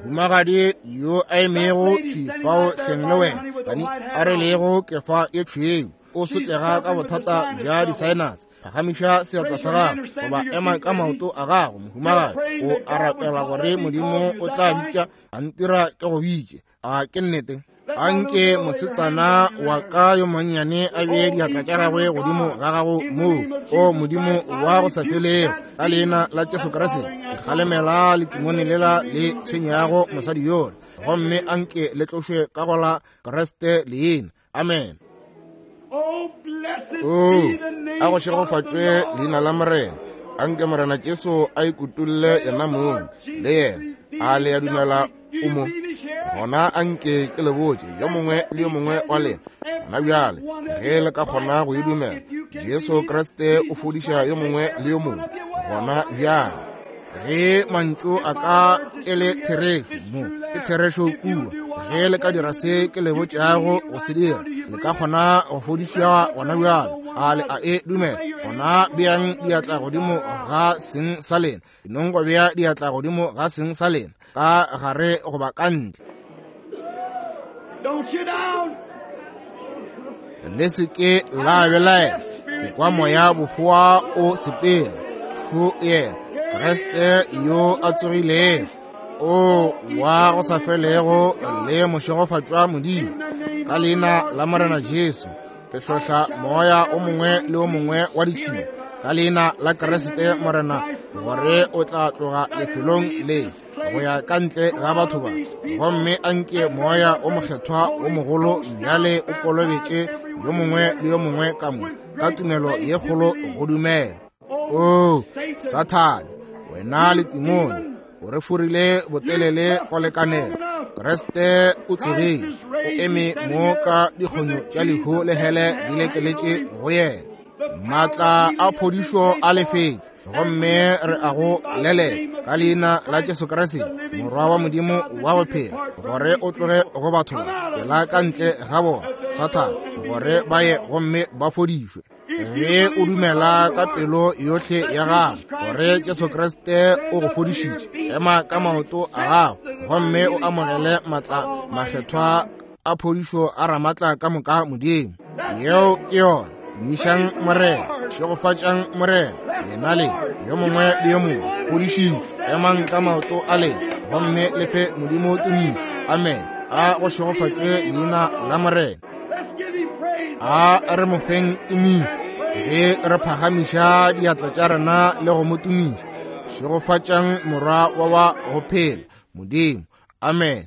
S1: Mohumagadi yo a emego thwi fao hleng le wena, gani a re lego kefa ye tšhweu, o sotlega ka bothata bja di-sinus. Phagamiša seatla sa gago goba ema ka maoto a gago, mohumagadi. O a rapela gore Modimo o tla bitša, a ntira ke go bitše. A ke nnete? Anke mosetsana wa ka yo monnyane a bee diatla tša gagwe godimo ga gago moo, o Modimo wa go sa felego, ka leina la Jesu Kriste, ke kgalemela letimone lela le tshwenyago mosadi yola, gomme anke le tlošwe ka go la Kriste leina. Amen.
S2: Oh, blessed
S1: O
S2: be the name
S1: a go
S2: of the
S1: šegofatšwe
S2: Lord.
S1: leina la Morena. Anke Morena Jesu a ikutolle yena mong le yena. A le a dumela o mo? Gona anke ke le botše yo mongwe le yo mongwe wa lena gona bjale, ge le ka kgona go e dumela, Jesu Kriste o fodiša yo mongwe le yo mongwe gona bjale. Ge mantšu a ka e le therešo mo, ke therešo kua. Ge le ka dira se ke le botšago go se dira, le ka kgona go fodišwa gona bjale. A le a e dumela? Gona beang diatla godimo ga seng sa lena. Nong go bea diatla godimo ga seng sa lena, ka gare goba ka ntle.
S2: Don't you down.
S1: Le se ke la belaela. Ke kwa moya bofoa o sepela. Fu yena Kriste yo a tsogilego, o wa go sa felego le mošegofatšwa Modimo. Ka leina la Morena Jesu, ke hlohla moya o mongwe le o mongwe wa ditšhila ka leina la Kriste Morena, gore o tla tloga lefelong le go ya ka ntle ga batho ba, gomme anke moya o mokgethwa o mogolo bjale o kolobetše yo mongwe le yo mongwe ka mo ka tumelo ye kgolo go dumela. O Sathane, wena le timone, o re forile botelele go lekanela. Kriste o tsogile, o eme mo ka dikgonyo tša lehu le hele di lekeletše go yena. Maatla a phodišo a lefetšwe, gomme re a go lelela ka leina la Jesu Kriste, Morwa wa Modimo wa go phela, gore o tloge go batho ba, pela ka ntle ga bona, Sathane, gore ba ye gomme ba fodišwe. Ge o dumela ka pelo yohle ya gago gore Jesu Kriste o go fodišitše, ema ka maoto a gago gomme o amogele maatla makgethwa a phodišo a Ramatla ka moka Modimo. Yeo ke yona. Tumišang Morena, šegofatšang Morena, lena le yo mongwe le yo mongwe fodišitšwe. Emang ka maoto a lena gomme le fe Modimo tumišo. Amen. A go šegofatšwe leina la Morena.
S2: Let's give him praise.
S1: A re mo feng tumišo ge re phagamiša diatla tša rena le go mo tumiša. Šegofatšang Morwa wa wa go phela Modimo. Amen.